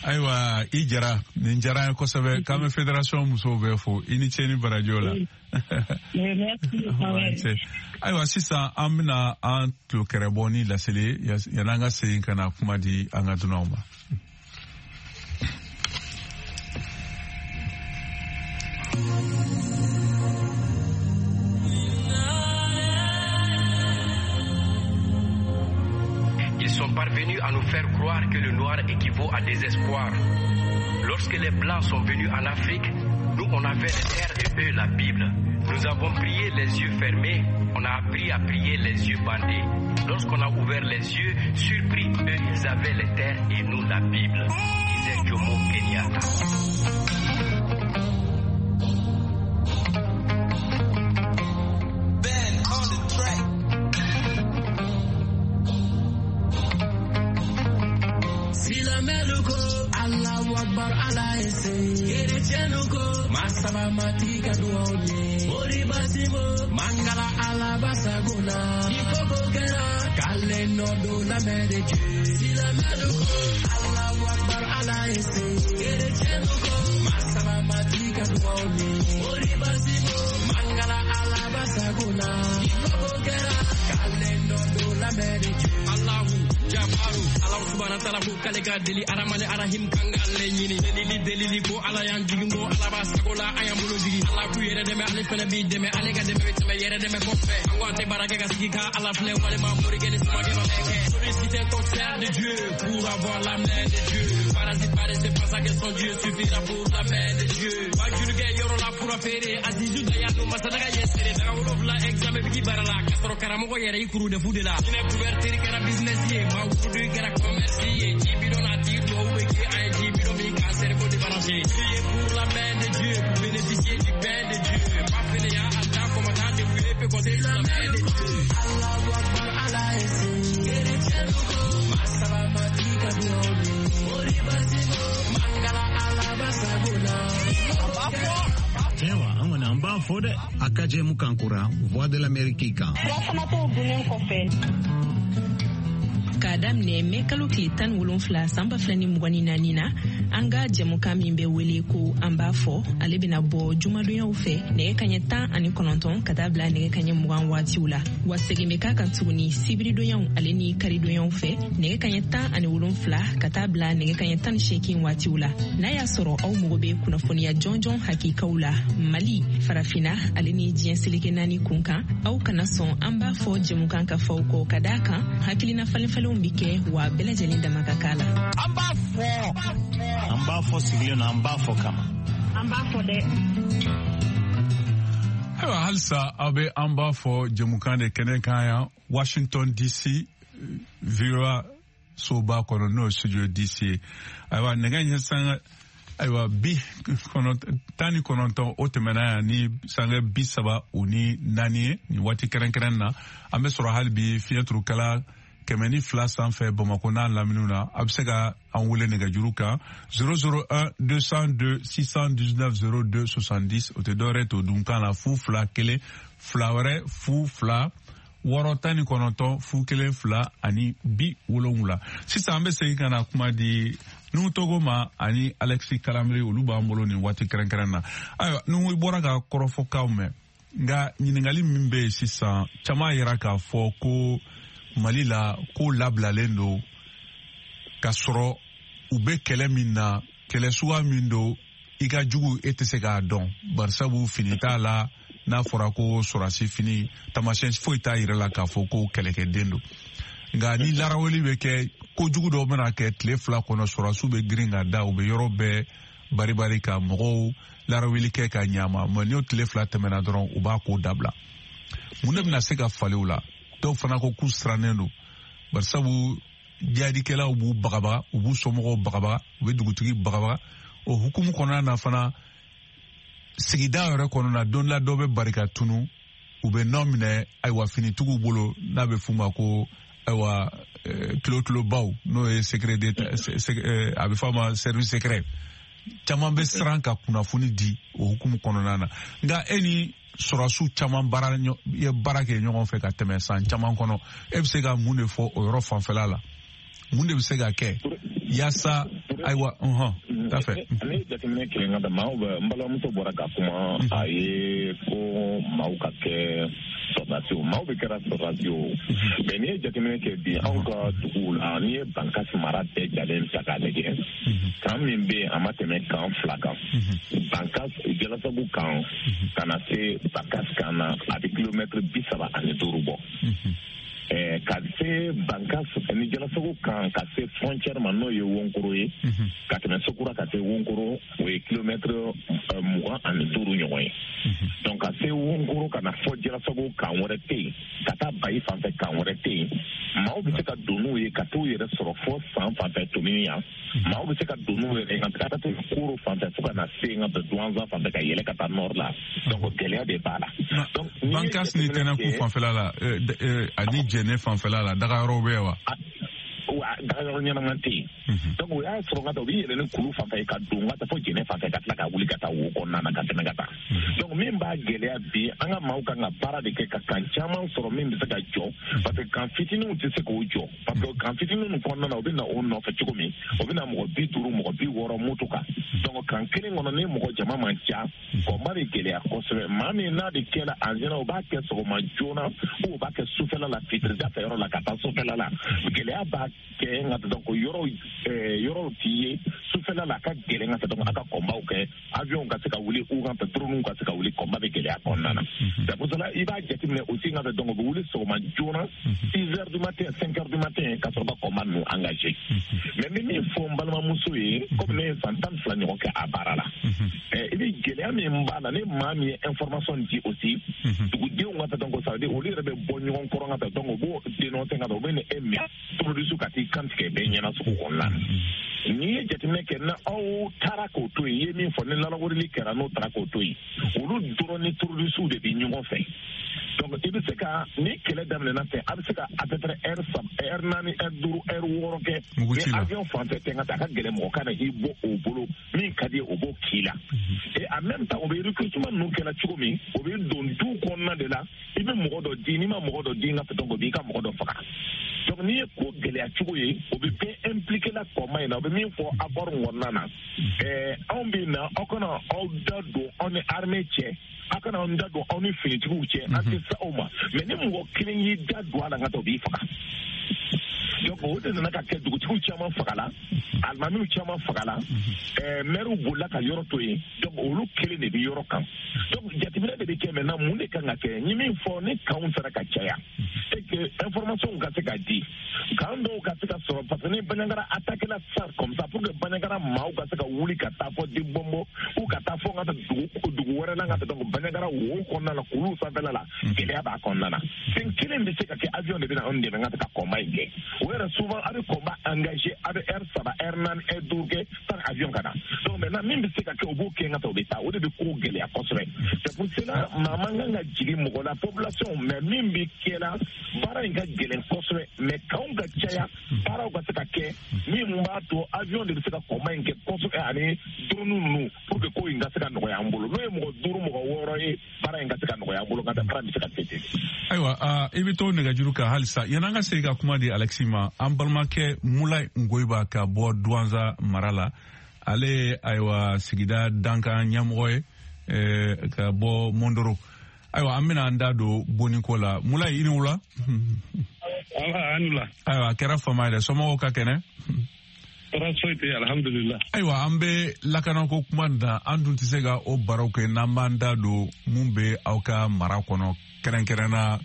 Ayiwa, i jara, nin diyara an ye kosɛbɛ. K'an bɛ fédération musow bɛɛ fo, i ni ce ni barajo la. Ayiwa, sisan an bɛna an tulo kɛrɛbɔ ni laseli ye yan'an ka segin ka na kuma di an ka dunanw ma. Ils sont parvenus à nous faire croire que le noir équivaut à désespoir. Lorsque les blancs sont venus en Afrique, nous on avait les terres et eux la Bible. Nous avons prié les yeux fermés, on a appris à prier les yeux bandés. Lorsqu'on a ouvert les yeux, surpris, eux ils avaient les terres et nous la Bible, disait Jomo Kenyatta. Masabamatika duone Oribasimo Mangala alabasagona Ifokokera Kale no do la mere Dieu Silameluko Allahu Akbar ala ese Erechenuko Masabamatika duone Oribasimo Mangala alabasagona Ifokokera Kale no do la mere Dieu Allahu Jabaru Allahu subhanahu wa ta'ala ko kale ka deli aramani arahim kanga le ɲini delili delili ko ala y'an jigin ko ala b'a sago la an y'an bolo jigin ala k'u yɛrɛ dɛmɛ ale fɛnɛ b'i dɛmɛ ale ka dɛmɛ bɛ tɛmɛ yɛrɛ dɛmɛ kɔfɛ an ko an tɛ baara kɛ ka sigi ka ala filɛ walima morikɛ ni samakɛ ma bɛɛ kɛ solliciter ton sert de Dieu pour avoir la main de Dieu parasite paresseux pense que son Dieu suffira pour la main de Dieu bajurukɛ yɔrɔ la fura feere Azizu Dayanu masadaga yɛsere daga wolonfila examen bigi baara la ka sɔrɔ karamɔgɔ yɛrɛ i kuru de fu de la hinɛ couverture kɛra business ye maa wurudu kɛra commerce si ye jibidon a tigi duwawu bɛ kɛ an ye jibidon min k'an cerveau débranché. Priez pour la main de Dieu pour bénéficier du pain de Dieu. Pas fainéant à temps combattant débrouillé peut compter sur la main de Dieu. Allahu Akbar ala esi masala matika bioni oribasimo mangala alabasagona. Tiɲɛ wa, an kɔni an b'a fɔ dɛ. A ka jɛmukan kura Voix de l'Amérique kan. Furafana dunnen kɔfɛ. K'a daminɛ mɛ kalo tile 17 san 2024 na, an ka jɛmukan min bɛ wele ko an b'a fɔ, ale bɛna bɔ jumadonyaw fɛ nɛgɛ kaɲɛ 19 ka taa bila nɛgɛ kaɲɛ 20 waatiw la. Wa segin bɛ k'a kan tuguni sibiridonyaw ale ni karidonyaw fɛ nɛgɛ kaɲɛ 17 ka taa bila nɛgɛ kaɲɛ 18 waatiw la. N'a y'a sɔrɔ aw mago bɛ kunnafoniya jɔnjɔn hakikaw la Mali, Farafinna ale ni diɲɛ seleke 4 kun kan, aw kana sɔn an b'a fɔ jɛmukan ka fɔ aw kɔ, ka d'a kan hakilina falenfalenw bɛ kɛ wa bɛɛ lajɛlen dama ka k'a la. An b'a fɔ. An b'a fɔ sigilen don, an b'a fɔ kama. An b'a fɔ dɛ. Ayiwa, halisa aw bɛ an b'a fɔ jɛmukan de kɛnɛ kan yan Washington DC, VOA soba kɔnɔ, n'o ye studio DC ye. Ayiwa, nɛgɛ ɲɛ sanga ayiwa 99 o tɛmɛna yan ni sanga 34 ye nin waati kɛrɛnkɛrɛn na. An bɛ sɔrɔ hali bi fiɲɛturukala 102 sanfɛ Bamakɔ n'a laminiw na. A bɛ se ka an wele nɛgɛjuru kan 001 202 619 02 70. O tɛ dɔwɛrɛ to dunkan la 0 2 1 2 wɛrɛ 0 2 6 19 0 1 2 ani 70. Sisan an bɛ segin ka na kuma di Nuhu Togo ma ani Alexis Kalamiri, olu b'an bolo nin waati kɛrɛnkɛrɛn na. Ayiwa, Nuhu, i bɔra ka kɔrɔfɔkanw mɛn, nka ɲininkali min bɛ yen sisan, caman yira k'a fɔ ko Mali la ko labilalen don ka sɔrɔ u bɛ kɛlɛ min na, kɛlɛ suguya min don, i ka jugu e tɛ se k'a dɔn, barisabu fini t'a la. N'a fɔra ko sɔrɔdasi fini, taamasiyɛn foyi t'a yɛrɛ la k'a fɔ ko kɛlɛkɛden don. Nka ni laraweli bɛ kɛ, kojugu dɔw bɛna kɛ tile 2 kɔnɔ, sɔrɔdasiw bɛ girin ka da, u bɛ yɔrɔ bɛɛ baribari ka mɔgɔw laraweli kɛ ka ɲama. Mɛ n'o tile 2 tɛmɛna dɔrɔn, u b'a ko dabila. Mun de bɛna se ka falen u la? Dɔw fana ko k'u sirannen don, barisabu jihadikɛlaw b'u bagabaga, u b'u somɔgɔw bagabaga, u bɛ dugutigi bagabaga. O hukumu kɔnɔna na fana, sigida yɛrɛ kɔnɔna, don la dɔ bɛ barika tunu, u bɛ nɔ minɛ ayiwa finitigiw bolo, n'a bɛ f'u ma ko ayiwa tulo-tulobaw, n'o ye secret d'état, a bɛ f'a ma service secret. Caman bɛ siran ka kunnafoni di o hukumu kɔnɔna na. Nka e ni sɔrɔdasiw caman baara kɛ ɲɔgɔn fɛ ka tɛmɛ san caman kɔnɔ, e bɛ se ka mun de fɔ o yɔrɔ fanfɛla la? Mun de bɛ se ka kɛ yaasa ayiwa t'a fɛ? Ne ye jateminɛ kɛ n ka maaw bɛ, n balimamuso bɔra ka kuma, a ye ko maaw ka kɛ sɔrɔdasiw, maaw bɛ kɛra sɔrɔdasiw. Mɛ n'i ye jateminɛ kɛ bi anw ka duguw la, n'i ye Bankasi mara bɛɛ jalen ta k'a lajɛ, kan min bɛ yen a ma tɛmɛ kan 2 kan. Bankas Jalasagu kan ka na se Bankas kan na, a bɛ kilomɛtiri 35 bɔ. Ka se Bankas ni Jalasagu kan ka se frontière ma, n'o ye Wonkoro ye, ka tɛmɛ Sokura ka se Wonkoro, o ye kilomɛtiri 25 ɲɔgɔn ye. Donc ka se Wonkoro ka na fɔ Jalasagu kan wɛrɛ tɛ yen, ka taa Bayi fan fɛ kan wɛrɛ tɛ yen. Maaw bɛ se ka don n'u ye ka t'u yɛrɛ sɔrɔ fɔ san fan fɛ Tomini yan. Maaw bɛ se ka don n'u yɛrɛ ye ka taa Koro fan fɛ fo ka na se n ka Duwanza fan fɛ ka yɛlɛ ka taa nord la. Donc gɛlɛya de b'a la. Donc Bankas ni Tɛnɛku fanfɛla la ani Jɛnɛ fanfɛla la, dagayɔrɔw bɛ yen wa? Dagayɔrɔ ɲɛnama tɛ yen. Donc o y'a sɔrɔ ka taa u bɛ yɛlɛ ni kulu fan fɛ ka don ka taa fo Jɛnɛ fan fɛ ka tila ka wuli ka taa wo kɔnɔna na ka tɛmɛ ka taa. Donc min b'a gɛlɛya bi, an ka maaw kan ka baara de kɛ ka kan caman sɔrɔ min bɛ se ka jɔ, parce que kan fitininw tɛ se k'o jɔ, parce que kan fitininw kɔnɔna na u bɛ na o nɔfɛ cogo min, o bɛ na mɔgɔ 50 mɔgɔ 60 moto kan. Donc kan kelen kɔnɔ ni mɔgɔ jama man ca, kɔnba bɛ gɛlɛya kosɛbɛ. Maa min n'a bɛ kɛ la en général, u b'a kɛ sɔgɔma joona ou u b'a kɛ sufɛla la, fitirida fɛ yɔrɔ la ka taa sufɛla la. Gɛlɛya b'a kɛ nka donc yɔrɔw t'i ye sufɛ. sanfɛla la a ka gɛlɛn ka taa donc a ka combat kɛ avion ka se ka wuli ou ka drone ka se ka wuli combat bɛ gɛlɛya kɔnɔna na. C'est pour cela i b'a jateminɛ aussi ka taa donc u bɛ wuli sɔgɔma joona 6 heures du matin 5 heures du matin ka sɔrɔ ka combat ninnu engagé. Mais n bɛ min fɔ n balimamuso ye komi ne ye san 12 ɲɔgɔn kɛ a baara la. I bɛ gɛlɛya min b'a la ni maa min ye information di aussi dugudenw ka taa donc ça veut dire olu yɛrɛ bɛ bɔ ɲɔgɔn kɔrɔ ka taa donc u b'o dénoncer ka taa u bɛ na e minɛ terroriste ka t'i kantigɛ bɛɛ ɲɛna sugu kɔnɔna na. N'i ye jateminɛ kɛ na aw taara k'o to yen i ye min fɔ ni lalawurili kɛra n'o taara k'o to yen olu dɔrɔn ni terroriste de bɛ ɲɔgɔn fɛ. Donc i bɛ se ka ni kɛlɛ daminɛna ten a bɛ se ka à peu près heure 3 heure 4 heure 5 heure 6 kɛ ni avion fan fɛ ten ka taa a ka gɛlɛn mɔgɔ ka na i bɔ o bolo min ka di ye o b'o k'i la. Et en même temps o bɛ recrutement ninnu kɛra cogo min o bɛ don du kɔnɔna de la i bɛ mɔgɔ dɔ di n'i ma mɔgɔ dɔ di n ka donc o b'i ka mɔgɔ dɔ faga. Donc n'i ye ko gɛlɛya cogo ye o bɛ bɛɛ impliqué la combat in na o bɛ min fɔ accord kɔnɔna na anw bɛ na aw kana aw da don aw ni armée cɛ aw kana aw da don aw ni finitigiw cɛ an tɛ se aw ma mais ni mɔgɔ kelen y'i da don a la n ka taa o b'i faga. Donc o de nana ka kɛ dugutigiw caman fagala alimamiw caman fagala maires bolila ka yɔrɔ to yen donc olu kelen de bɛ yɔrɔ kan. Donc jateminɛ de bɛ kɛ maintenant mun de kan ka kɛ n ye min fɔ ni kanw sera ka caya et que information ka se ka di kan dɔw ka se ka sɔrɔ parce que ni Bandiagara attaqué la sisan comme ça pour que Bandiagara maaw ka se ka wuli ka taa fɔ Dibombo ou ka taa fɔ ka taa dugu wɛrɛ la ka taa donc Bandiagara wo kɔnɔna la kulu sanfɛla la gɛlɛya b'a kɔnɔna na. Fɛn kelen bɛ se ka kɛ avion de bɛ na anw dɛmɛ ka se ka combat in kɛ. O yɛrɛ souvent a bɛ combat engagé a bɛ heure 3 heure 4 heure 5 kɛ sans avion ka na. Donc maintenant min bɛ se ka kɛ o b'o kɛ ka taa o bɛ taa o de bɛ ko gɛlɛya kosɛbɛ. C'est pour cela maa man kan ka jigin mɔgɔ la population mais min bɛ kɛ la baara in ka gɛlɛn kosɛbɛ mais kanw ka caya baaraw ka se ka kɛ min b'a to avion de bɛ se ka combat in kɛ kosɛbɛ ani drone ninnu pour que ko in ka se ka nɔgɔya an bolo n'o ye mɔgɔ 5 mɔgɔ 6 ye baara in ka se ka nɔgɔya an bolo ka taa baara bɛ se ka kɛ ten. Ayiwa i bɛ to nɛgɛjuru kan halisa yan'an ka segin ka kuma di Alexis ma an balimakɛ Mulayi Ngoyiba ka bɔ Duwanza mara la ale ayiwa sigida dankan ɲɛmɔgɔ ye ka bɔ Mondoro. Ayiwa an bɛna an da don boniko la Mulayi i ni wula. Ayiwa a kɛra fama ye dɛ somɔgɔw ka kɛnɛ. Tɔɔrɔ foyi tɛ alhamdulillah. Ayiwa an bɛ lakanako kuma na an dun tɛ se ka o barow kɛ n'an b'an da don mun bɛ aw ka mara kɔnɔ kɛrɛnkɛrɛnna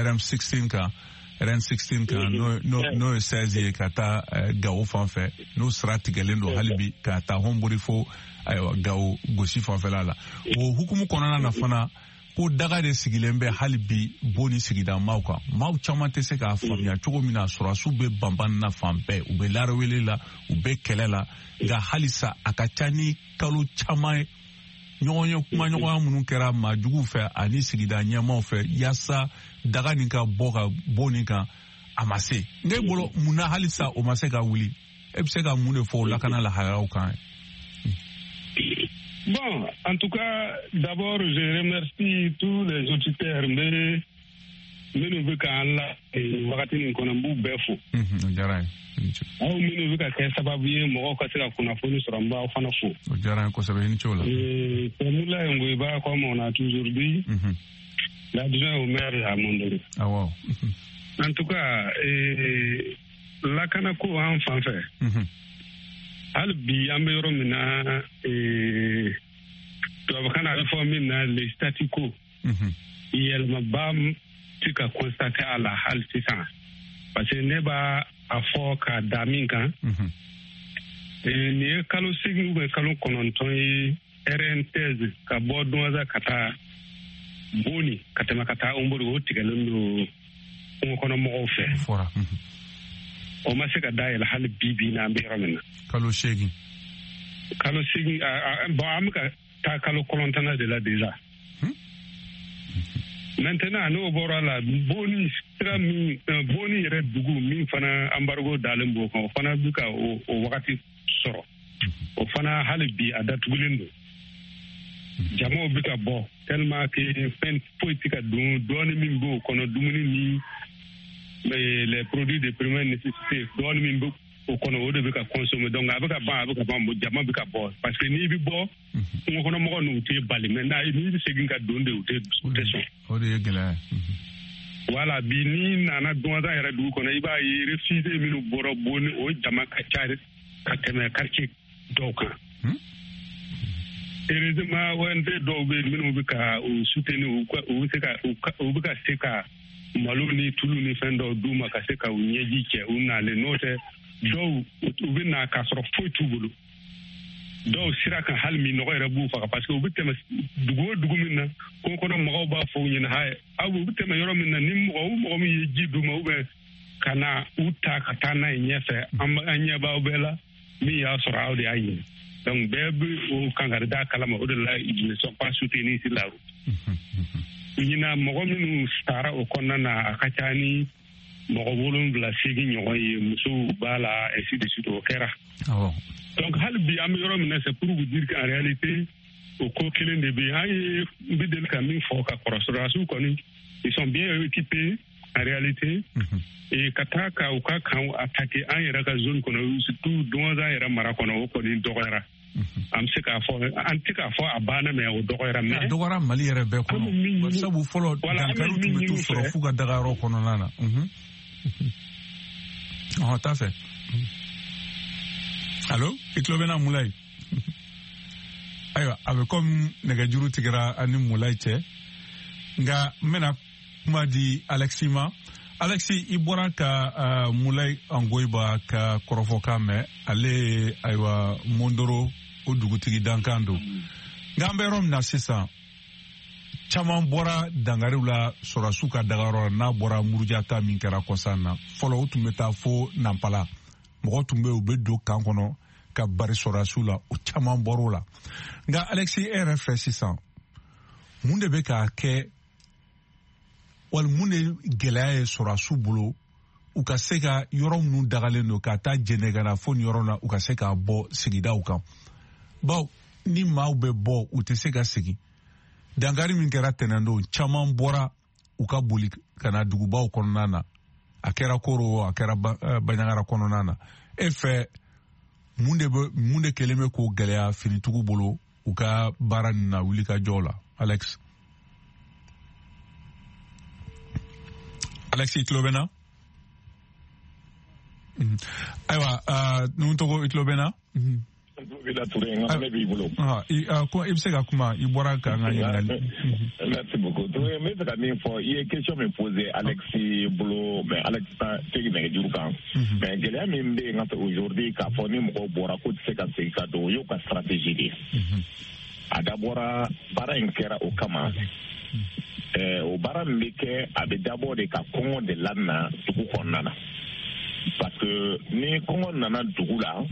RM16 kan RN16 kan n'o ye 16 ye ka taa Gawo fan fɛ n'o sira tigɛlen don hali bi ka taa Hombori fo ayiwa Gawo gosi fanfɛla la o hukumu kɔnɔna na fana ko daga de sigilen bɛ hali bi Boni sigida maaw kan maaw caman tɛ se k'a faamuya cogo min na sɔrɔdasiw bɛ banban na fan bɛɛ u bɛ larawele la u bɛ kɛlɛ la nka halisa a ka ca ni kalo caman ye ɲɔgɔn ye kumaɲɔgɔnya minnu kɛra maajuguw fɛ ani sigida ɲɛmaaw fɛ yaasa daga nin ka bɔ ka Boni kan a ma se ne bolo mun na halisa o ma se ka wuli e bɛ se ka mun de fɔ o lakana lahalayaw kan? Bon, en tout cas, d'abord, je remercie tous les auditeurs, mais minnu bɛ k'an la wagati nin kɔnɔ n b'u bɛɛ fo. O diyara n ye. Aw minnu bɛ ka kɛ sababu ye mɔgɔw ka se ka kunnafoni sɔrɔ n b'aw fana fo. O diyara n ye kosɛbɛ i ni ce o la. C'est Moulaye Ngoyiba, comme on a toujours dit, l'adjoint au maire à Mondoro. Awɔ. En tout cas, lakanako an fan fɛ. Hali bi an bɛ yɔrɔ min na tubabukan na a bɛ fɔ min na le statu quo. Yɛlɛmaba tɛ ka constater a la hali sisan parce que ne b'a a fɔ ka da min kan. Nin ye kalo 8 ou bien kalo 9 ye RN16 ka bɔ Duwanza ka taa Boni ka tɛmɛ ka taa Hombori o tigɛlen don kungo kɔnɔ mɔgɔw fɛ. O ma se ka dayɛlɛ hali bi bi na an bɛ yɔrɔ min na. Kalo 8. Kalo 8 bon an bɛ ka taa kalo 9 de la déjà. Maintenant n'o bɔra la Boni sira min Boni yɛrɛ dugu min fana embargo dalen b'o kan o fana bɛ ka o wagati sɔrɔ. O fana hali bi a datugulen don. Jamaw bɛ ka bɔ tellement que fɛn foyi tɛ ka don dɔɔni min b'o kɔnɔ dumuni ni les produits de première nécessité dɔɔni min bɛ o kɔnɔ o de bɛ ka consommer donc a bɛ ka ban a bɛ ka ban jama bɛ ka bɔ parce que n'i bɛ bɔ kungo kɔnɔ mɔgɔ ninnu tɛ bali mais n'i bɛ segin ka don de u tɛ sɔn. O de ye gɛlɛya ye. Voilà bi n'i nana Duwanza yɛrɛ dugu kɔnɔ i b'a ye réfugiés minnu bɔra Boni o jama ka ca ka tɛmɛ quartier dɔw kan. Heureusement, ONG dɔw bɛ yen minnu bɛ ka u soutenir, u bɛ se ka u bɛ ka se ka malo ni tulu ni fɛn dɔw d'u ma ka se ka u ɲɛji cɛ u nalen. N'o tɛ, dɔw u bɛ na k'a sɔrɔ foyi t'u bolo. Dɔw sira kan, hali minnɔgɔ yɛrɛ b'u faga, parce que u bɛ tɛmɛ dugu o dugu min na, kungo kɔnɔ mɔgɔw b'a fɔ u ɲɛna haye, aw u bɛ tɛmɛ yɔrɔ min na, ni mɔgɔ o mɔgɔ min ye ji d'u ma ou bien ka na u ta ka taa n'a ye ɲɛfɛ, an ɲɛ b'aw bɛɛ la, min y'a sɔrɔ aw de y'a ɲini. Donc bɛɛ bɛ o kankari da kalama, o de la ils ne sont pas soutenus sur la route. Ɲinan, mɔgɔ minnu sara o kɔnɔna na, a ka ca ni mɔgɔ 7, 8 ɲɔgɔn ye, musow b'a la, ainsi de suite, o kɛra. Donc hali bi an bɛ yɔrɔ min na, c'est pour vous dire qu'en réalité o ko kelen de bɛ yen. An ye n bɛ deli ka min fɔ ka kɔrɔ, sɔrɔdasiw kɔni, ils sont bien équipés en réalité. Et ka taa ka u ka camp attaquer an yɛrɛ ka zone kɔnɔ, surtout Douentza yɛrɛ mara kɔnɔ, o kɔni dɔgɔyara. An bɛ se k'a fɔ, an tɛ k'a fɔ a banna, mais o dɔgɔyara. Mais a dɔgɔyara Mali yɛrɛ bɛɛ kɔnɔ, sabu fɔlɔ dankariw tun bɛ t'u sɔrɔ f'u ka dagayɔrɔ kɔnɔna na. Ɔhɔn, t'a fɛ. Allo, i tulo bɛ na, Mulayi? Ayiwa, a bɛ komi nɛgɛjuru tigɛra an ni Mulayi cɛ, nka n bɛna kuma di Alexi ma. Alexi, i bɔra ka Mulayi Angoyiba ka kɔrɔfɔkan mɛn. Ale ye, ayiwa, Mondoro o dugutigi dankan don. Nka an bɛ yɔrɔ min na sisan, caman bɔra dankariw la sɔrɔdasiw ka dagayɔrɔ la, n'a bɔra Muruja ta min kɛra kɔsan na. Fɔlɔ, u tun bɛ taa fo Nanpala, mɔgɔ tun bɛ yen, u bɛ don camp kɔnɔ ka bari sɔrɔdasiw la, o caman bɔr'o la. Nka Alexi, e yɛrɛ fɛ sisan, mun de bɛ k'a kɛ, wali mun de gɛlɛya ye sɔrɔdasiw bolo u ka se ka yɔrɔ minnu dagalen don ka taa jɛnɛ ka na fo nin yɔrɔ la, u ka se k'a bɔ sigidaw kan? Bawo ni maaw bɛ bɔ, u tɛ se ka segin. Dankari min kɛra tɛnɛndon, caman bɔra u ka boli ka na dugubaw kɔnɔna na, a kɛra Koro, a kɛra Baɲagara kɔnɔna na. E fɛ, mun de bɛ, mun de kɛlen bɛ k'o gɛlɛya finitigiw bolo u ka baara nin na, wuli ka jɔ la? Alex, Alex, i tulo bɛ na? Ayiwa, nun tɔgɔ, i tulo bɛ na? Ne b'i bolo. I bɛ se ka kuma, i bɔra k'an ka ɲininkali. Merci beaucoup, Touré. N bɛ fɛ ka min fɔ, i ye question min posé Alexi bolo, mais Alex tɛ nɛgɛjuru kan. Mais gɛlɛya min bɛ yen ka fɛ aujourd'hui, k'a fɔ ni mɔgɔw bɔra k'u tɛ se ka segin ka don, o y'u ka stratégie de ye. A dabɔra, baara in kɛra o kama. O baara min bɛ kɛ, a bɛ dabɔ de ka kɔngɔ de lana dugu kɔnɔna na, parce que ni kɔngɔ nana dugu la,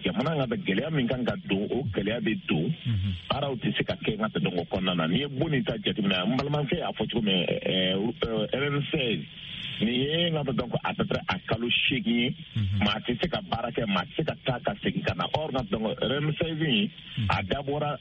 jamana ka gɛlɛya min kan ka don, o gɛlɛya bɛ don, baaraw tɛ se ka kɛ n ka tɛ o kɔnɔna na. N'i ye bon nin ta jateminɛ, n balimakɛ y'a fɔ cogo min, RN16 nin ye n ka dɔn à peu près a kalo 8 ye, maa tɛ se ka baara kɛ, maa tɛ se ka taa ka segin ka na. Or n ka dɔn RN16 in, a dabɔra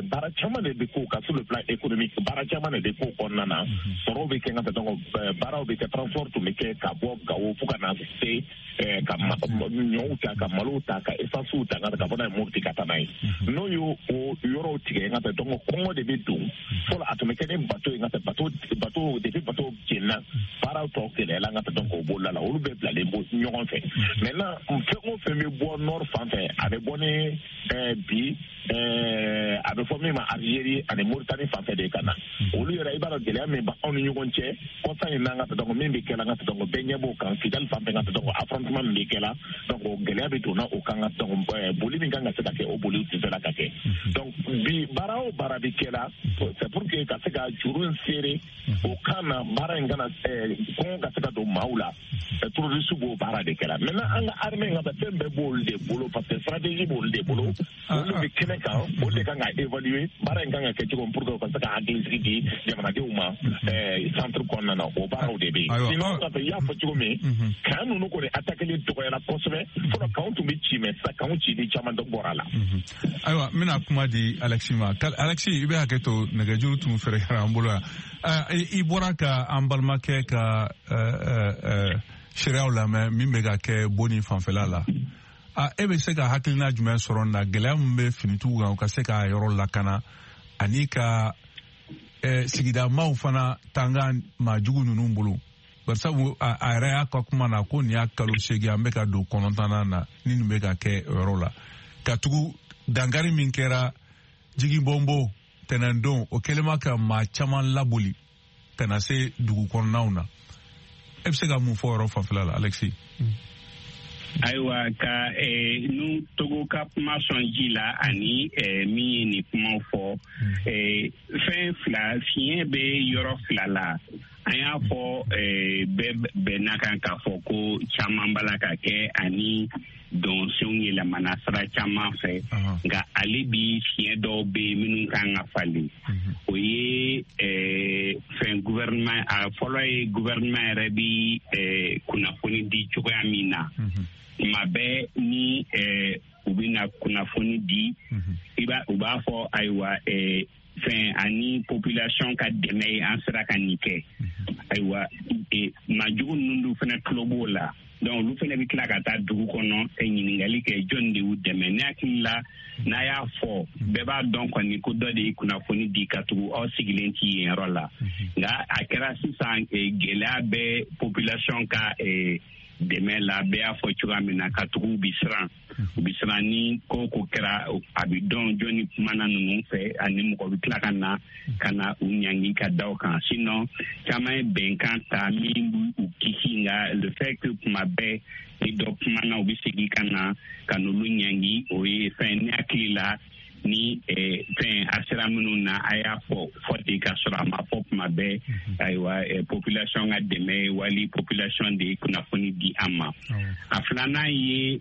baara caman de bɛ k'o kan sur le plan économique, baara caman de bɛ k'o kɔnɔna na, sɔrɔw bɛ kɛ n ka dɔn baaraw bɛ kɛ, transport tun bɛ kɛ ka bɔ Gawo fo ka na se ka ɲɔw ta, ka malow ta, ka essence ta, ka bɔ n'a ye Mopti ka taa n'a ye. N'o y'o o yɔrɔw tigɛ, n ka dɔn kɔngɔ de bɛ don. Fɔlɔ, a tun bɛ kɛ ni bateau ye, n ka bateau, depuis bateau jenina, baaraw tɔ gɛlɛyala, n ka dɔn k'o bolola la, olu bɛɛ bilalen bɔ ɲɔgɔn fɛ. Maintenant, fɛn o fɛn bɛ bɔ nord fan fɛ, a bɛ bɔ ni bi a bɛ fɔ min ma Algérie ani Mauritanie fan fɛ de ka na. Olu yɛrɛ, i b'a dɔn gɛlɛya min b'anw ni ɲɔgɔn cɛ kɔsa in na, n ka dɔn min bɛ kɛla, n ka dɔn bɛɛ ɲɛ b'o kan, Kidali fan fɛ, n ka dɔn affrontement min bɛ kɛla. Donc o gɛlɛya bɛ donna o kan, ka dɔn boli min kan ka se ka kɛ, o boli tɛ se ka kɛ. Donc bi, baara o baara bɛ kɛla, c'est pour que ka se ka juru in serrer o kan na, baara in kana kɔngɔ ka se ka don maaw la. Terroriste b'o baara de kɛra. Maintenant, an ka armée ka fɛn bɛɛ b'olu de bolo, parce que stratégie b'olu de bolo, olu bɛ kɛnɛ kan, olu de kan ka évaluer baara in kan ka kɛ cogo min pour que u ka se ka hakilisigi di jamanadenw ma centre kɔnɔna na. O baaraw de bɛ yen. Sinon, ka fɛ i y'a fɔ cogo min, camp ninnu kɔni attaquer dɔgɔyara kosɛbɛ. Fɔlɔ, campw tun bɛ ci, mais sisan campw cili caman dɔ bɔra a la. Ayiwa, n bɛna kuma di Alexi ma. Alexi, i bɛ hakɛ to, nɛgɛjuru tun fɛrɛkɛra an bolo yan. I bɔra ka an balimakɛ ka seereyaw lamɛn min bɛ ka kɛ Boni fanfɛla la. E bɛ se ka hakilina jumɛn sɔrɔ nin na, gɛlɛya min bɛ finitigiw kan u ka se k'a yɔrɔ lakana ani ka sigida maaw fana tanga maajugu ninnu bolo? Barisabu a yɛrɛ y'a ka kuma na ko nin y'a kalo 8 an bɛ ka don 9nan na ni nin bɛ ka kɛ o yɔrɔ la. Ka tugu dankari min kɛra Jigibɔnbo tɛnɛndon, o kɛlen ma ka maa caman laboli ka na se dugu kɔnɔnaw na. E bɛ se ka mun fɔ o yɔrɔ fanfɛla la, Alexis? Ayiwa, ka nu Togo ka kuma sɔn ji la ani min ye nin kumaw fɔ, fɛn fila fiɲɛ bɛ yɔrɔ fila la. An y'a fɔ bɛɛ bɛnna kan k'a fɔ ko caman b'a la ka kɛ ani dɔnsenw yɛlɛmana sira caman fɛ, nka ale bi fiɲɛ dɔw bɛ yen minnu kan ka falen. O ye fɛn gouvernement, a fɔlɔ ye gouvernement yɛrɛ bi kunnafoni di cogoya min na. Tuma bɛɛ ni u bɛna kunnafoni di, u b'a fɔ ayiwa fɛn ani population ka dɛmɛ ye an sera ka nin kɛ. Ayiwa, maajugu ninnu dun fana tulo b'o la. Donc olu fana bɛ tila ka taa dugu kɔnɔ ka ɲininkali kɛ jɔn de y'u dɛmɛ. Ne hakili la n'a y'a fɔ bɛɛ b'a dɔn kɔni ko dɔ de ye kunnafoni di ka tugu aw sigilen ti yen yɔrɔ la. Nka a kɛra sisan gɛlɛya bɛ population ka dɛmɛ la, bɛɛ y'a fɔ cogoya min na, ka tugu u bɛ siran. U bɛ siran ni ko ko kɛra a bɛ dɔn jɔnni kumana ninnu fɛ ani mɔgɔ bɛ tila ka na u ɲangi ka da o kan. Sinon caman ye bɛnkan ta min b'u kisi, nka le fait que kuma bɛɛ ni dɔ kumana u bɛ segin ka na ka n'olu ɲangi, o ye fɛn ne hakili la ni fɛn a sera minnu na a y'a fɔ ten ka sɔrɔ a ma fɔ kuma bɛɛ. Ayiwa, population ka dɛmɛ wali population de ye kunnafoni di an ma. A filanan ye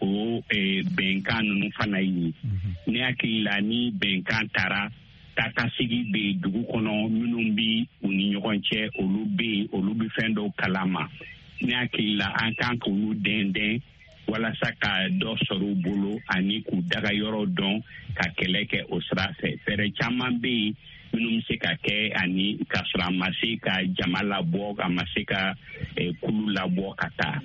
o bɛnkan ninnu fana ye. Ne hakili la ni bɛnkan taara taakasegi bɛ dugu kɔnɔ minnu bɛ u ni ɲɔgɔn cɛ, olu bɛ yen, olu bɛ fɛn dɔw kalama. Ne hakili la an kan k'olu dɛndɛn walasa ka dɔ sɔrɔ u bolo ani k'u daga yɔrɔ dɔn ka kɛlɛ kɛ o sira fɛ. Fɛɛrɛ caman bɛ yen minnu bɛ se ka kɛ ani ka sɔrɔ a ma se ka jama labɔ, a ma se ka kulu labɔ ka taa.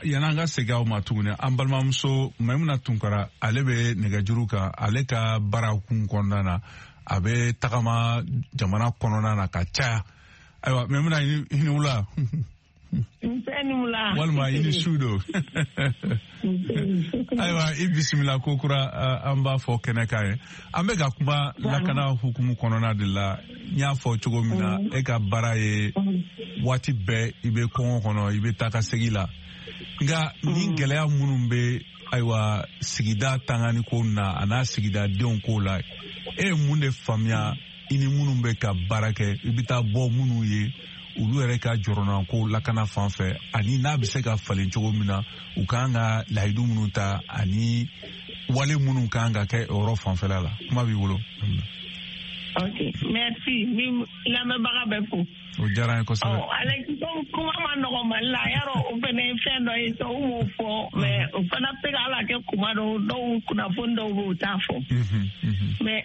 Yan'an ka segin aw ma tuguni, an balimamuso Maimuna Tunkara, ale bɛ nɛgɛjuru kan. Ale ka baara kun kɔnɔna na, a bɛ tagama jamana kɔnɔna na ka caya. Ayiwa, Maimuna, i ni wula. Walima i ni su don. Ayiwa, i bisimila ko kura an b'a fɔ kɛnɛ kan ye. An bɛ ka kuma lakana hukumu kɔnɔna de la. N y'a fɔ cogo min na, e ka baara ye waati bɛɛ i bɛ kɔngɔ kɔnɔ, i bɛ taa ka segin la. Nka ni gɛlɛya minnu bɛ ayiwa sigida tangani ko na a n'a sigidadenw ko la, e ye mun de faamuya i ni minnu bɛ ka baara kɛ, i bɛ taa bɔ minnu ye olu yɛrɛ ka jɔrɔnako lakana fan fɛ, ani n'a bɛ se ka falen cogo min na, u kan ka layidu minnu ta ani wale minnu kan ka kɛ o yɔrɔ fanfɛla la? Kuma b'i bolo. Ok, merci. Ni lamɛnbaga bɛ fo. O diyara n ye kosɛbɛ. Alexis, kuma ma nɔgɔn Mali la, yarɔ o fana ye fɛn dɔ ye, u m'o fɔ, mais o fana bɛ se ka ala kɛ kuma dɔw, dɔw kunnafoni dɔw bɛ u t'a fɔ. Mais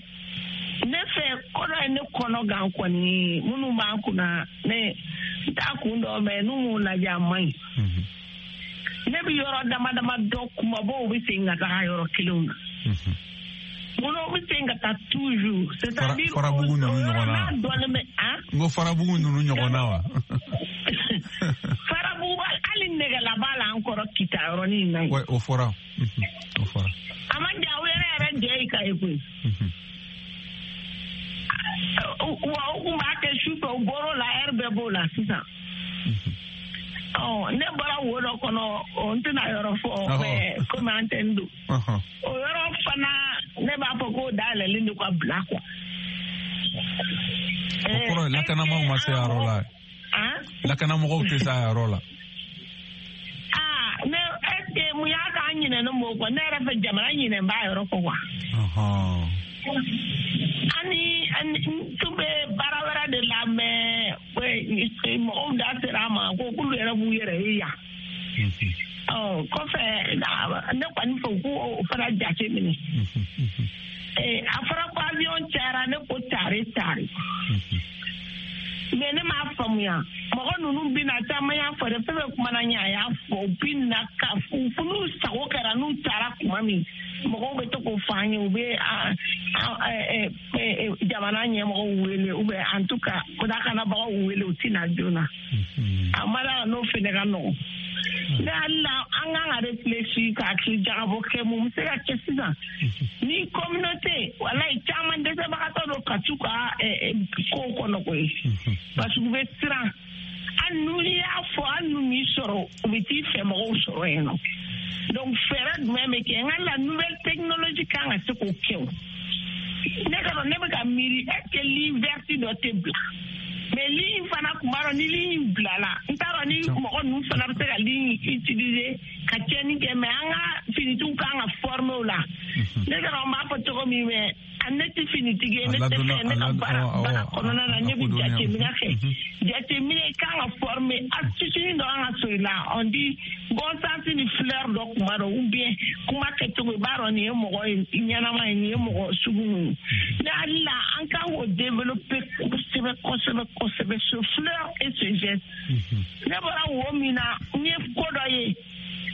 ne fɛ ko dɔ ye ne kɔnɔ gan kɔni, minnu b'an kunna ne n t'a kun dɔn, mais n'u m'o lajɛ a man ɲi. Ne bɛ yɔrɔ dama dama dɔ kumabaw bɛ segin ka taga yɔrɔ kelenw na. Minnu bɛ segin ka taa toujours. C'est-à-dire Farabugu ninnu ɲɔgɔn na. N ko Farabugu ninnu ɲɔgɔn na wa? Farabugu hali nɛgɛla b'a la an kɔrɔ Kita yɔrɔnin in na yen. Ouais, o fɔra. O fɔra. A ma ja u yɛrɛ jɛ yi ka ye koyi. Wa u kun b'a kɛ su fɛ, u bɔr'o la, ɛri bɛɛ b'o la sisan. Ne bɔra wo dɔ kɔnɔ, n tɛna yɔrɔ fɔ, mais komi an tɛ n don. O yɔrɔ fana ne b'a fɔ k'o dayɛlɛlen don ka bila quoi. O kɔrɔ ye lakanamaaw ma se a yɔrɔ la. Lakanamɔgɔw tɛ se a yɔrɔ la. Ne est-ce que mun y'a k'an ɲinɛnen b'o kɔ? Ne yɛrɛ fɛ jamana ɲinɛn b'a yɔrɔ kɔ quoi. Ani n tun bɛ baara wɛrɛ de la, mais mɔgɔw da sera a ma ko k'olu yɛrɛ b'u yɛrɛ ye yan. Kɔfɛ ne kɔni fɛ k'o fana jate minɛ. A fɔra ko avion cayara, ne ko tare tare. Mais ne m'a faamuya, mɔgɔ ninnu bɛ na caman y'a fɔ dɛ, fɛn fɛn kumana ɲɛ a y'a fɔ, u bɛ na ka n'u sago kɛra n'u taara kuma min, mɔgɔw bɛ to k'o fɔ an ye, u bɛ jamana ɲɛmɔgɔw wele ou bien en tout cas lakanabagaw wele, u tɛ na joona. A ma d'a la n'o fɛnɛ ka nɔgɔn. Ne hakili la, an kan ka réfléchir ka hakili jagabɔ kɛ mun bɛ se ka kɛ sisan ni communauté. Walayi, caman dɛsɛbagatɔ don ka t'u ka kow kɔnɔ koyi, parce que u bɛ siran. Hali n'u y'a fɔ, hali n'u m'i sɔrɔ, u bɛ t'i fɛ mɔgɔw sɔrɔ yen nɔ. Donc fɛɛrɛ jumɛn bɛ kɛ? N ka la nouvelle technologie kan ka se k'o kɛ. O ne ka dɔn, ne bɛ ka miiri, est ce que ligne verte dɔ tɛ bila? Mais ligne fana kun b'a dɔn, ni ligne bilala, n t'a dɔn ni mɔgɔ ninnu fana bɛ se ka ligne utiliser ka tiɲɛni kɛ. Mais an ka finitigiw kan ka former o la. Ne ka dɔn, n b'a fɔ cogo min, mais ne tɛ finitigi ye, ne tɛ fɛ. Ne ka baara kɔnɔna na, ne bɛ jateminɛ kɛ. Jateminɛ kan ka former, astuce dɔ kan ka sɔrɔ i la. On dit bon sens ni flair dɔ kuma dɔ, ou bien kuma kɛcogo, i b'a dɔn nin ye mɔgɔ ye ɲɛnama ye, nin ye mɔgɔ sugu ninnu. Ne hakili la, an kan k'o développer kosɛbɛ kosɛbɛ kosɛbɛ, ce flair et ce geste. Ne bɔra wo min na, n ye ko dɔ ye,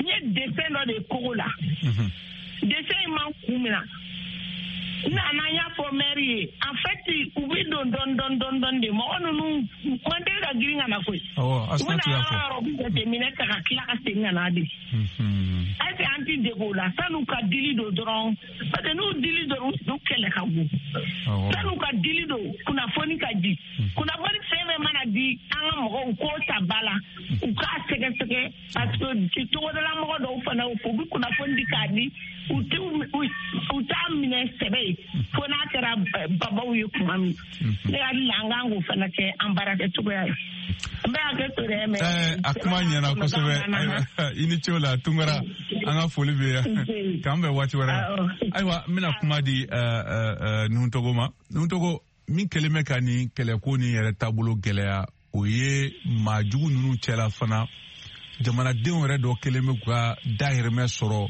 n ye dessin dɔ de ye kogo la. Dessin in man kun min na, n nana, n y'a fɔ maire ye. En fait, u bɛ don dɔɔni dɔɔni dɔɔni dɔɔni de. Mɔgɔ ninnu man deli ka girin ka na koyi. U bɛna yɔrɔ yɔrɔ, u bɛ jateminɛ ta ka tila ka segin ka na de. Est ce que an ti dege o la san'u ka dili don dɔrɔn? Parce que n'u dili dɔrɔn, u kɛlɛ ka bon. San'u ka dili don, kunnafoni ka di. Kunnafoni fɛn fɛn mana di an ka mɔgɔw, k'o ta ba la, u k'a sɛgɛsɛgɛ, parce que togodala mɔgɔ dɔw fana, u bɛ kunnafoni di k'a di, u t'u u t'a minɛ sɛbɛ ye fo n'a kɛra babaw ye kuma min. Ne hakili la, an kan k'o fana kɛ an baarakɛcogoya ye. N bɛ hakɛ to dɛ, mais A kuma ɲɛna kosɛbɛ. I ni ce o la, Tunkara, an ka foli bɛ yan, k'an bɛn waati wɛrɛ. Ayiwa, n bɛna kuma di Nuhu ma. Nuhu, min kɛlen bɛ ka nin kɛlɛko nin yɛrɛ taabolo gɛlɛya, o ye maa jugu ninnu cɛla fana, jamanadenw yɛrɛ dɔ kɛlen bɛ k'u ka dahirimɛ sɔrɔ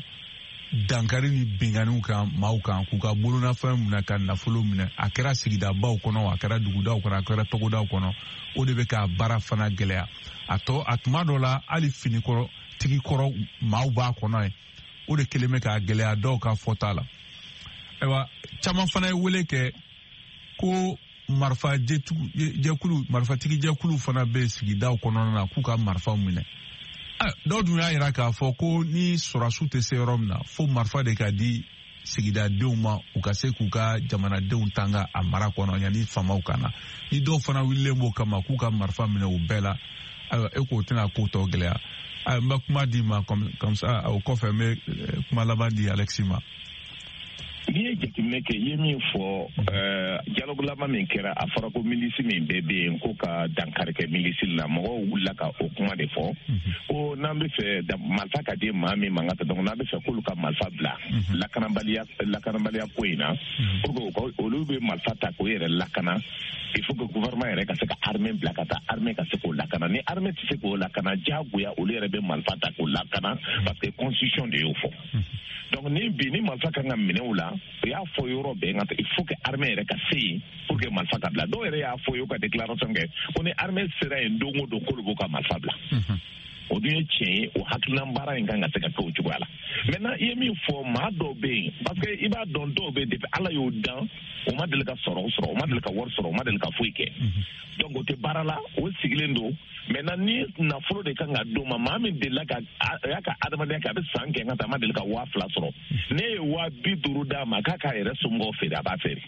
dankari ni binganiw kan maaw kan, k'u ka bolonafɛn minɛ, ka nafolo minɛ. A kɛra sigidabaw kɔnɔ, a kɛra dugudaw kɔnɔ, a kɛra togodaw kɔnɔ. O de bɛ ka baara fana gɛlɛya. A tɔ a tuma dɔ la, hali finikɔrɔ tigi kɔrɔ maaw b'a kɔnɔ yen. O de kɛlen bɛ k'a gɛlɛya dɔw ka fɔta la. Ayiwa, caman fana ye wele kɛ ko marifa jɛkulu, marifatigi jɛkulu fana bɛ sigidaw kɔnɔna na, k'u ka marifaw minɛ. Dɔw dun y'a yira k'a fɔ ko ni sɔrɔsiw tɛ se yɔrɔ min na, fo marifa de ka di sigidadenw ma, u ka se k'u ka jamanadenw tanga a mara kɔnɔ yanni faamaw ka na. Ni dɔw fana wulilen b'o kama k'u ka marifa minɛ u bɛɛ la, ayiwa, e k'o tɛna ko tɔ gɛlɛya. Ayiwa, n bɛ kuma di ma comme ça, o kɔfɛ n bɛ kuma laban di Alexis ma. N'i ye jateminɛ kɛ, i ye min fɔ, dialogue laban min kɛra, a fɔra ko milice min bɛɛ bɛ yen, ko ka dankari kɛ milice la. Mɔgɔw wulila ka o kuma de fɔ ko n'an bɛ fɛ marifa ka di maa min ma ka donc n'an bɛ fɛ k'olu ka marifa bila lakanabaliya ko in na, pour que olu bɛ marifa ta k'o yɛrɛ lakana, il faut que gouvernement yɛrɛ ka se ka armée bila ka taa, armée ka se k'o lakana. Ni armée tɛ se k'o lakana, diyagoya olu yɛrɛ bɛ marifa ta k'o lakana, parce que constitution de y'o fɔ. Donc ni bi ni marifa kan ka minɛ u la, u y'a fɔ yɔrɔ bɛɛ nka il faut que armée yɛrɛ ka se yen pour que marifa ka bila. Dɔw yɛrɛ y'a fɔ, y'u ka déclaration kɛ ko ni armée sera yen don o don, k'olu b'u ka marifa bila. O dun ye tiɲɛ ye. O hakilina baara in kan ka se ka kɛ o cogoya la. Maintenant, i ye min fɔ, maa dɔw bɛ yen, parce que i b'a dɔn, dɔw bɛ yen, depuis Ala y'o dan, o ma deli ka sɔrɔ, o ma deli ka wari sɔrɔ, o ma deli ka foyi kɛ. Donc o tɛ baara la, o sigilen don. Maintenant, ni nafolo de kan ka d'o ma, maa min delila ka a y'a ka adamadenya kɛ, a bɛ san kɛ ka taa, a ma deli ka 2000 sɔrɔ, ne ye 50.000 d'a ma k'a k'a yɛrɛ somɔgɔw feere, a b'a feere,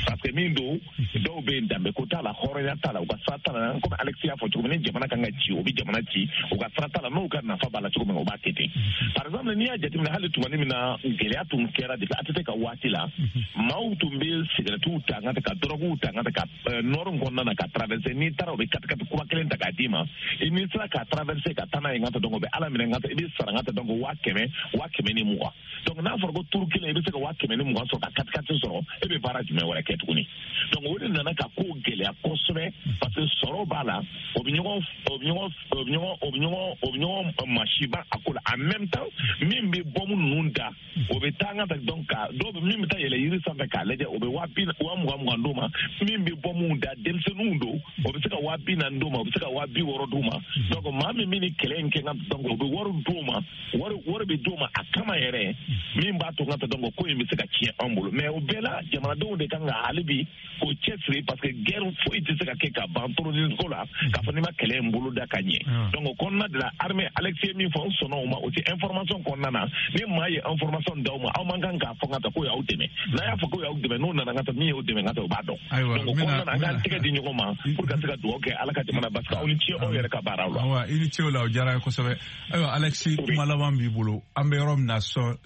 parce que min don, dɔw bɛ yen, danbeko t'a la, hɔrɔnya t'a la, u ka sira t'a la. Komi Alexis y'a fɔ cogo min, ni jamana kan ka ci, o bɛ jamana ci, u ka sira t'a la. N'u ka nafa b'a la cogo min, o b'a kɛ ten. Par exemple, n'i y'a jateminɛ, hali tumani min na gɛlɛya tun kɛra depuis ATT ka waati la, maaw tun bɛ sigɛrɛtiw ta ka dɔrɔguw ta ka nord kɔnɔna na ka traverser. N'i taara, u bɛ katikati kura kelen ta k'a d'i ma. I n'i sera ka traverser ka taa n'a ye n ka donc o bɛ Ala minɛ n ka i bɛ sara n ka donc 100.000, 120.000. Donc n'a fɔra ko turu kelen, i bɛ se ka 120.000 sɔrɔ ka katikati sɔrɔ, e bɛ baara jumɛn wɛrɛ kɛ tuguni? Donc o de nana ka ko gɛlɛya kosɛbɛ, parce que sɔrɔ b'a la, o bɛ ɲɔgɔn o bɛ ɲɔgɔn o bɛ ɲɔgɔn o bɛ ɲɔgɔn o bɛ ɲɔgɔn masiba a ko la. En même temps, min bɛ bɔmu ninnu da O bɛ taa n ka donc ka dɔw bɛ min bɛ taa yɛlɛ yiri sanfɛ k'a lajɛ, o bɛ 20 000 d'o ma. Min bɛ bɔ mun da, denmisɛnninw don, o bɛ se ka 40 000 d'o ma, o bɛ se ka 60 000 d'o ma. Donc maa min bɛ nin kɛlɛ in kɛ n ka, donc o bɛ wari d'o ma, wari bɛ d'o ma a kama yɛrɛ, min b'a to n ka ta, donc ko in bɛ se ka tiɲɛ anw bolo. Mais o bɛɛ la, jamanadenw de kan ka hali bi k'o cɛsiri, parce que guerre foyi tɛ se ka kɛ ka ban terrorisme ko la k'a fɔ n'i ma kɛlɛ in bolo da ka ɲɛ. Donc o kɔnɔna de la, armée, Alex ye min fɔ, n sɔnna o ma. O tɛ information kɔnɔna na, ni maa ye information d'aw ma, aw man kan k'a fɔ n ka ta k'o y'aw dɛmɛ. N'a y'a fɔ k'o y'aw dɛmɛ, n'o nana n ka ta, min y'o dɛmɛ n ka ta, o b'a dɔn. Donc o kɔnɔna na, an k'an tɛgɛ di ɲɔgɔn ma pour ka se ka dugawu kɛ Ala ka jamana basigi. Aw ni ce aw yɛrɛ ka baaraw la. Awa, i ni ce o la, o diyara n ye kosɛbɛ. Ayiwa Alexis, kuma laban b'i bolo. An bɛ yɔrɔ min na sɔn,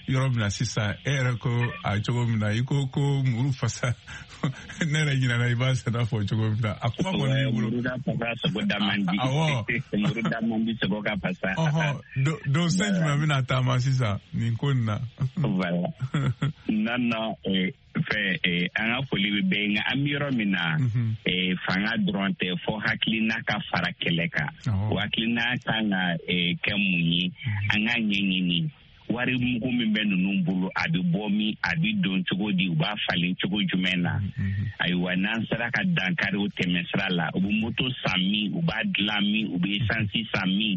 yɔrɔ min na sisan, e yɛrɛ ko a cogo min na, i ko ko muru fasa, ne yɛrɛ ɲinɛna i b'a sɛnɛ fɔ cogo min na, a kuma kɔni b'i bolo. Muru ka fasa, sogo da man di. Muru da man di, sogo ka fasa. Ɔhɔn, don sen jumɛn bɛna taama sisan nin ko nin na? Voilà, non non, fɛ an ka foli bɛ bɛɛ, nka an bɛ yɔrɔ min na, fanga dɔrɔn tɛ, fɔ hakilina ka fara kɛlɛ kan. O hakilina kan ka kɛ mun ye? An ka ɲɛɲini wari mugu min bɛ ninnu bolo, a bɛ bɔ min, a bɛ don cogo di, u b'a falen cogo jumɛn na? Ayiwa, n'an sera ka dankari o tɛmɛ sira la, u bɛ moto san min, u b'a dilan min, u bɛ esansi san min,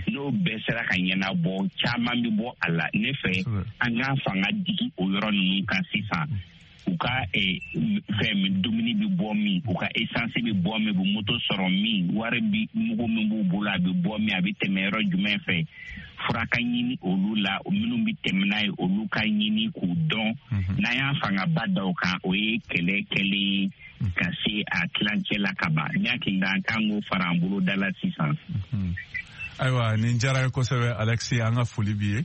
n'o bɛɛ sera ka ɲɛnabɔ, caman bɛ bɔ a la. Ne fɛ, an k'an fanga digi o yɔrɔ ninnu kan sisan. U ka fɛn dumuni bɛ bɔ min, u ka esansi bɛ bɔ min, u bɛ moto sɔrɔ min, wari bi mugu min b'u bolo, a bɛ bɔ min, a bɛ tɛmɛ yɔrɔ jumɛn fɛ, fura ka ɲini olu la, minnu bɛ tɛmɛ n'a ye, olu ka ɲini k'u dɔn. N'an y'a fangaba da o kan, o ye kɛlɛ kɛlen ka se a tilancɛ la ka ban. Ne hakili la, an kan k'o fara an bolo da la sisan. Ayiwa, nin diyara ye kosɛbɛ Alexis, an ka foli b'i ye.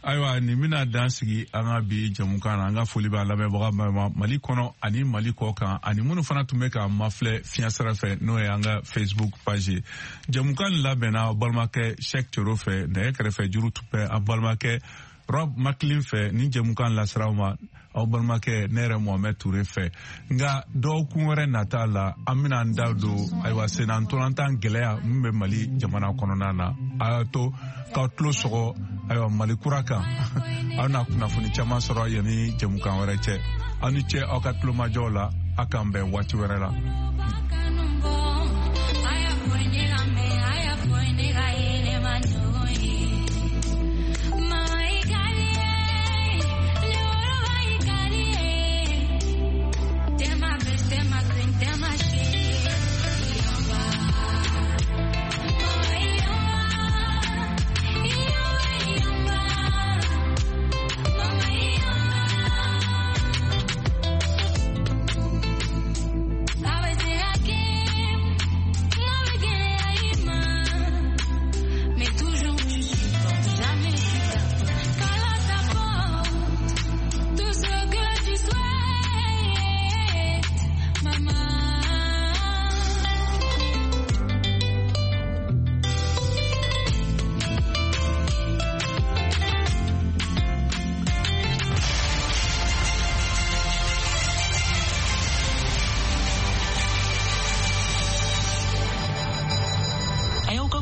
Ayiwa, nin bɛna dan sigi an ka bi jamukan na. An ka foli b'a lamɛnbaga ma Mali kɔnɔ ani Mali kɔ kan, ani minnu fana tun bɛ k'an mafilɛ fiɲɛ sira fɛ, n'o ye an ka Facebook page ye. Jamukan nin labɛnna aw balimakɛ Cheikh Thioro fɛ, nɛgɛ kɛrɛfɛ juru tun bɛ an balimakɛ Rob Macklin fɛ. Nin jamukan lasiraw ma aw balimakɛ ne yɛrɛ Mohamɛd Ture fɛ. Nka dɔgɔkun wɛrɛ nata la, an bɛna an da don, ayiwa, senna ntolantan gɛlɛya min bɛ Mali jamana kɔnɔna na. A y'a to k'aw tulo sɔgɔ, ayiwa, Mali kura kan, aw na kunnafoni caman sɔrɔ yanni jamukan wɛrɛ cɛ. Aw ni ce aw ka tulomajɔw la, a k'an bɛn waati wɛrɛ la.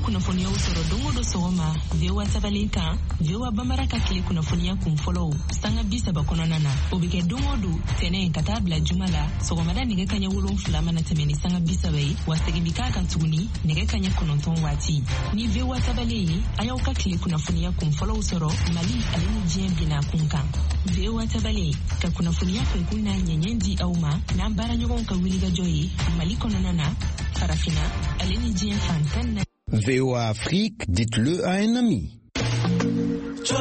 Kunnafoniyaw sɔrɔ don o don sɔgɔma VOA tabalen kan, VOA Bambara ka tile kunnafoniya kun fɔlɔw sanga 30 kɔnɔna na. O bɛ kɛ don o don, tɛnɛ ka taa bila juma la, sɔgɔmada nɛgɛ kaɲɛ 7 mana tɛmɛ ni sanga 30 ye, wa segin bɛ k'a kan tuguni nɛgɛ kaɲɛ 9 waati. Ni VOA tabalen ye, a y'aw ka tile kunnafoniya kun fɔlɔw sɔrɔ Mali ale ni diɲɛ bina kun kan. VOA tabalen ka kunnafoniya kunkun n'a ɲɛɲɛ di aw ma n'an baaraɲɔgɔnw ka wulikajɔ ye Mali kɔnɔna na, Farafinna ale ni diɲɛ fan 14. VOA Afrique, dites-le à un ami.